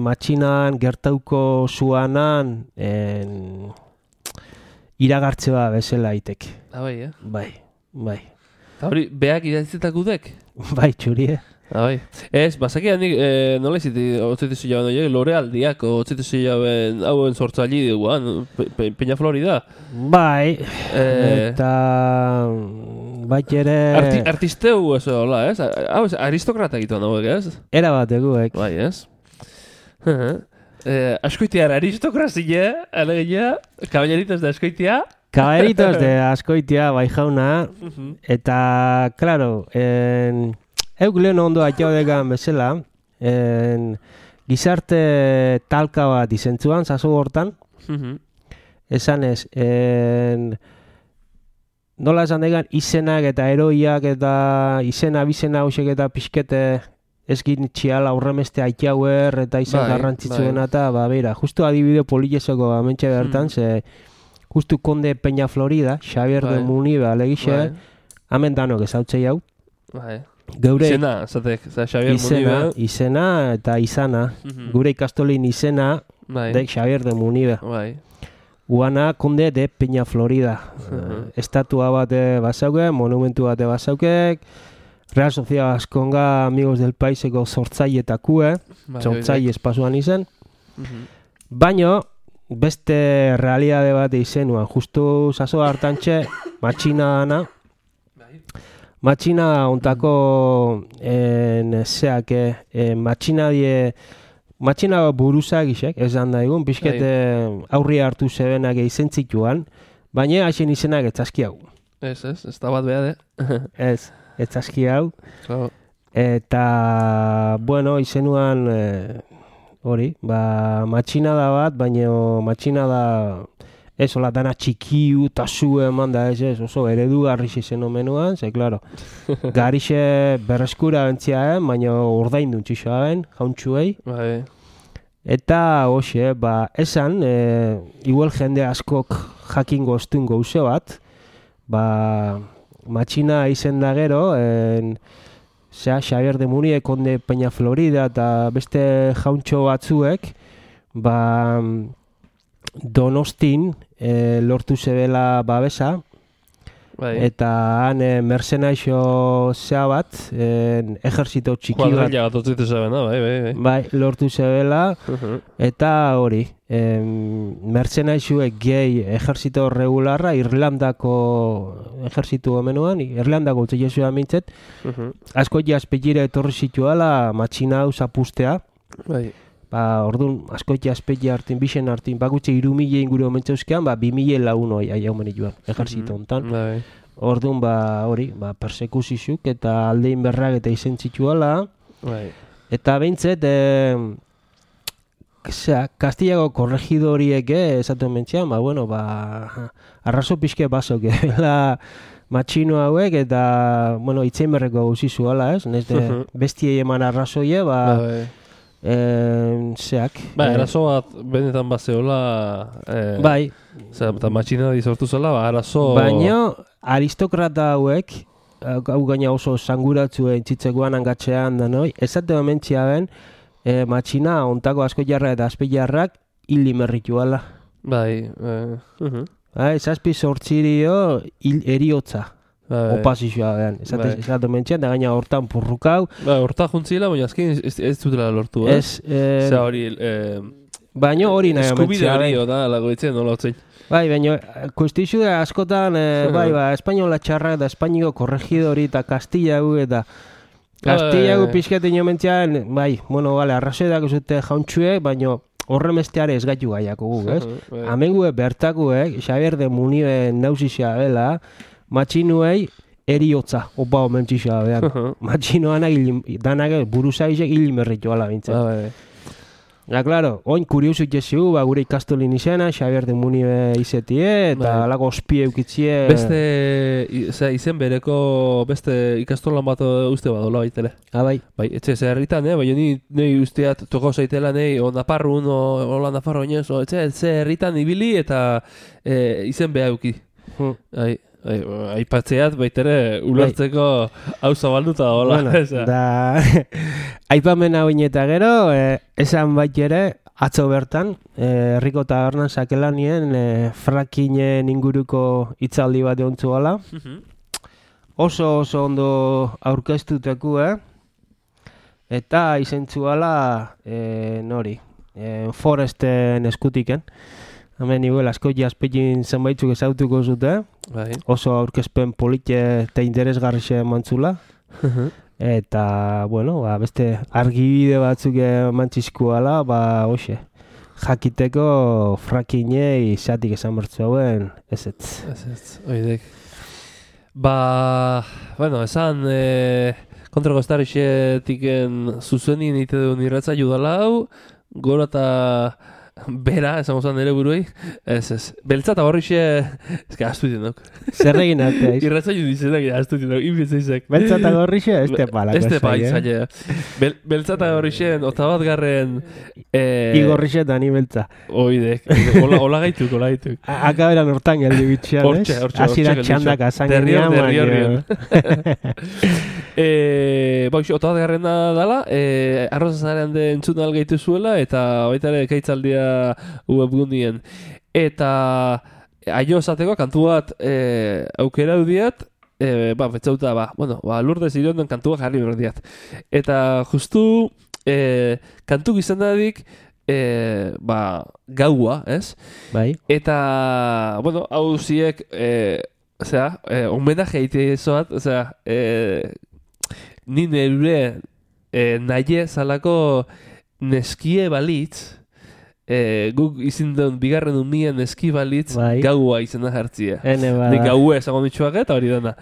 matxinan gertauko zuanan, iragartze bat bezala itek. Bai, Bai. Eta hori, beak idatzitako dek? Bai, txurie. Bai. Ez, bazakia nik, nola iziti, otzitizu jaben horiek, lore aldiak, otzitizu jaben hauen sortzaili duguan, Peña Florida. Bai, eta... Bai ere... Artisteu ez hola, ez? Hau, aristokrata egituan hauek, ez? Era bat eguek. Bai, ez? Askoitiar aristokrazia, alegia, kaballeritos de askoitia. Kaballeritos de askoitia, bai jauna, eta, klaro, euk lehen ondo atxaudegan bezala, gizarte talka bat izentzuan, zazu hortan, esan ez, nola esan degan izenak eta eroiak eta bizena hausek eta pixkete ezkin txiala aurremeste atxauer eta izan garrantzitzuena eta, beira, justu adibide politezoko amentxe bertan, ze justu konde Peña Florida, Xavier de Munibe alegixe, hemen danok ezautzei hau. Geure izena, zatek, Xavier Munibe. Izena eta izana. Gure ikastolin izena de Xavier de Munibe. Uana konde de Peña Florida. Estatua bate bazauke, monumentu bate bazaukek, Real Sociedad Askonga Amigos del Paiseko sortzailetakue, sortzaile espasuan izen. Baino, beste realitate bat izenuan, justu zazo hartantxe, matxina dana, matxina ontako matxina buruzak isek, esan da egun, pixkete aurri hartu zebenak izen zituan, baina hasen izenak etzazki hau. Ez da bat behar, Ez, etzazki hau. Eta, bueno, izenuan hori, matxina da bat, baina matxina da ez, hola, dana txikiu eta zu eman da ez, oso eredu garriz izen omenuan, ze, klaro, garrixe berreskura bentziaen, baina ordain duen txixoaen, jauntxuei. Eta, hoxe, esan, igual jende askok jakingo ostun gauze bat, matxina izen da gero, Xavier de Munibe, konde Peña Florida eta beste jauntxo batzuek, Donostin lortu zebela babesa, eta han mercenaixo zea bat, ejerzito txiki bat, lortu zebela, eta hori, mercenaixoek gehi ejerzito regularra, Irlandako ejerzitu omenuan, Irlandako utzilezua mintzet, asko jazpegire etorri zituala matxina hau zapustea, Orduan, askoitea azpetia hartin, bixen hartin, bakutxe 3.000 inguru omentzauzkean, 2.000 lagun hoi aiaumen joan, ejerzito hontan. Orduan, hori, persekuzizuk eta aldein berrak eta izen zituala. Eta behintzet, Kastillago korregidoriek esaten mentzean, arrazo pixke basok, matxino hauek eta, itzein berreko gauzi zuala, ez? Nezde, bestiei eman arrazoie, arazo bat benetan bazeola, bai. Eta matxina dizortu zela, arazo... Baina, aristokrata hauek, hau gaina oso sanguratzu entzitzekoan angatxean da noi, esate mentzia ben, matxina ontako asko jarra eta azpeiarrak hili merrituala. Bai, Zazpi sortzirio eriotza. Opazioa behan. Esate mentxean, da gaina hortan purrukau. Horta juntzila, baina azken ez dutela lortu, Zer hori... Baina hori nahi eskubide hori da, lagoitzen, nola hotzen. Bai, baina kuestizu askotan, espainola txarra eta espainiko korregidori eta Kastillagu eta Kastillagu pixketin jo mentzean, arrazoedak zute jauntxuek, baina horremesteare ez gaitu gaiako gu, ez? Amengue bertakuek, Xabier de Munibe nauzizia bela, matxinuei eriotza, opa omentzizia behan. Matxinoanak buruzaizek hilimerritu ala bintzen. Claro, oin kuriosuk jesu, gure ikastolin izena, Xabier de Munibe izetie, eta alako ospie eukitzie... Beste, izen bereko, beste ikastolan bat uste badola baitele. Bai. Bai, etxe herritan, baina ni usteat toko zaitela, Nafarrun, hola Nafarro inez, etxe herritan ibili eta izen beha euki. Aipatzeat baitere ulertzeko hau zabalduta hola. Aipamen hau ineta gero, esan baitere, atzo bertan, herriko tabernan sakelanien frackingen inguruko hitzaldi bat eontzu gala. Oso ondo aurkeztuteku, eta izentzu gala, Foresten eskutiken. Hemen igual asko jazpekin zenbaitzuk ezautuko zute, oso aurkezpen polite eta interesgarrixe mantzula. Eta, beste argibide batzuk mantzizkuala, jakiteko frakinei xatik esan bertzu hauen, ezetz. Oidek. Esan kontrako estarixetiken zuzenien ite duen irratza judala hau, gora eta bera, esan gozan nire buruei, ez. Beltza eta horrixe, ezka, astu dinok. Zer egin arte, ez? Irratza judizenak, astu dinok, inbitzaizek. Beltza eta horrixe, ez te palako zai, zaila. Beltza eta horrixe, otabat garren... Igorrixe eta ni beltza. Oidek, hola gaituk. Akaberan hortan geldi bitxean, ez? Azira txandak azangenia, Derriorrion. Otabat garrena dala, arrozazarean de entzun algaitu zuela, eta baitare ekaitzaldia webgunien. Eta aio esateko kantu bat aukera dudiat, betzauta, Lourdes Irionden kantu bat jarri berdiat. Eta justu kantu gizan dadik gaua, ez? Bai. Eta, hau ziek, homenaje eite zoat, nire ure nahi zalako neskie balitz, guk izin duen bigarren umien neski balitz gaua izena jartzia. Nik gaua esagon ditxuak eta hori dena.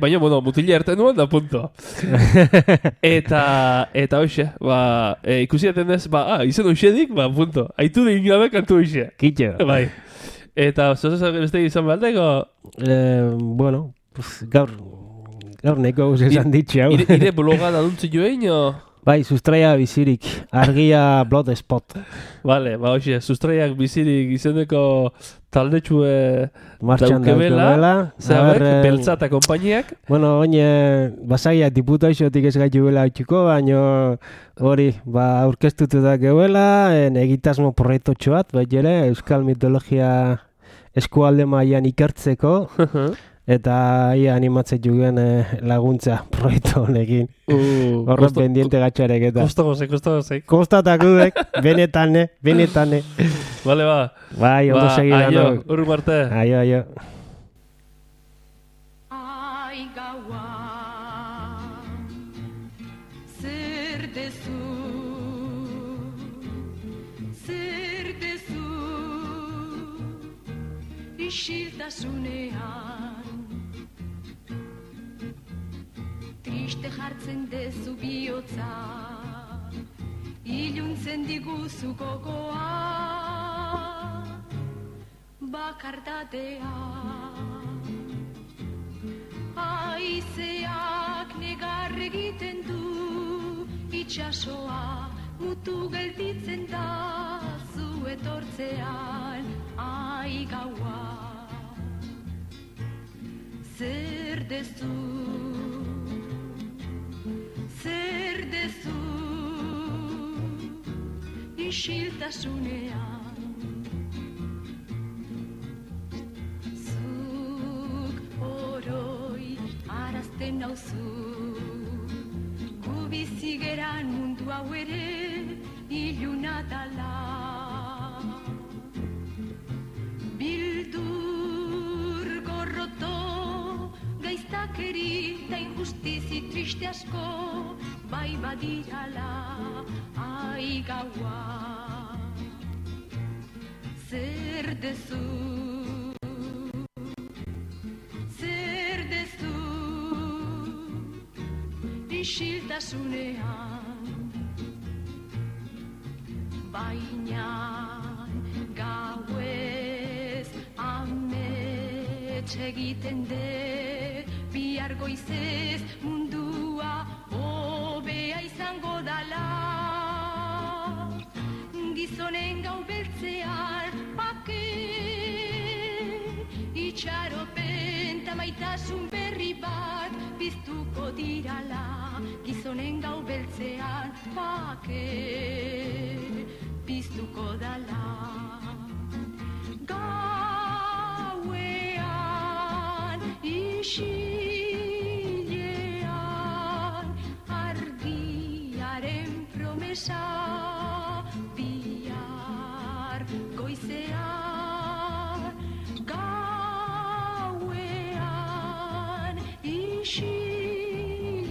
Baina, mutila erten nuen da punto. Eta hoxe, ikusi aten ez, izen hoxedik, punto. Aitu da ingabe kantu hoxe. Kitxo. Bai. Eta, zozak beste izan behalteko? Gaur neko esan ditxe hau. Ire bloga da duntzi joein, o? Bai, sustraia bizirik, argia blood spot. Vale, hoxe, sustraiak bizirik izeneko taldetxue daukebela. Beltza eta kompainiak. Oin, basaiak diputa isotik ez gaitu bela hautsuko, baina hori, aurkeztutu da gebela, egitasmo proiektotxo bat, ere, euskal mitologia eskualde mailan ikertzeko, eta ia animatzen juguen laguntza proiektu honekin. Horren pendiente gatxarek eta. Kostagozek. Kostatakudek, benetane. Bale, Bai, ondo segidan. Aio, urru marte. Aio. Ai gaua, zer dezu, isiltasunean. Triste jartzen dezu bihotza, iluntzen diguzu gogoa, bakardatea. Haizeak negar egiten du, itxasoa mutu gelditzen da, zu etortzean ai gaua. Zer dezu, isiltasunean. Zuk oroi arazten nauzu, gu bizigeran mundu hau ere iluna dala. Bildur gorroto, gaiztakeri da injustizi triste asko, bai badirala ai gaua. Zer dezu, isiltasunean. Baina gauez amets egiten de, bihar goizez mundua hobea izango dala. Gizonen gau beltzean bake, itxaropen ta maitasun berri bat biztuko dirala. Gizonen gau beltzean bake, biztuko dala. Gauean isilean argiaren promesa, bihar goizean. Gauean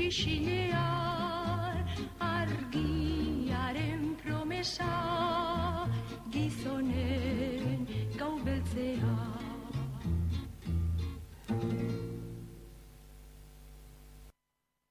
isilean argiaren promesa,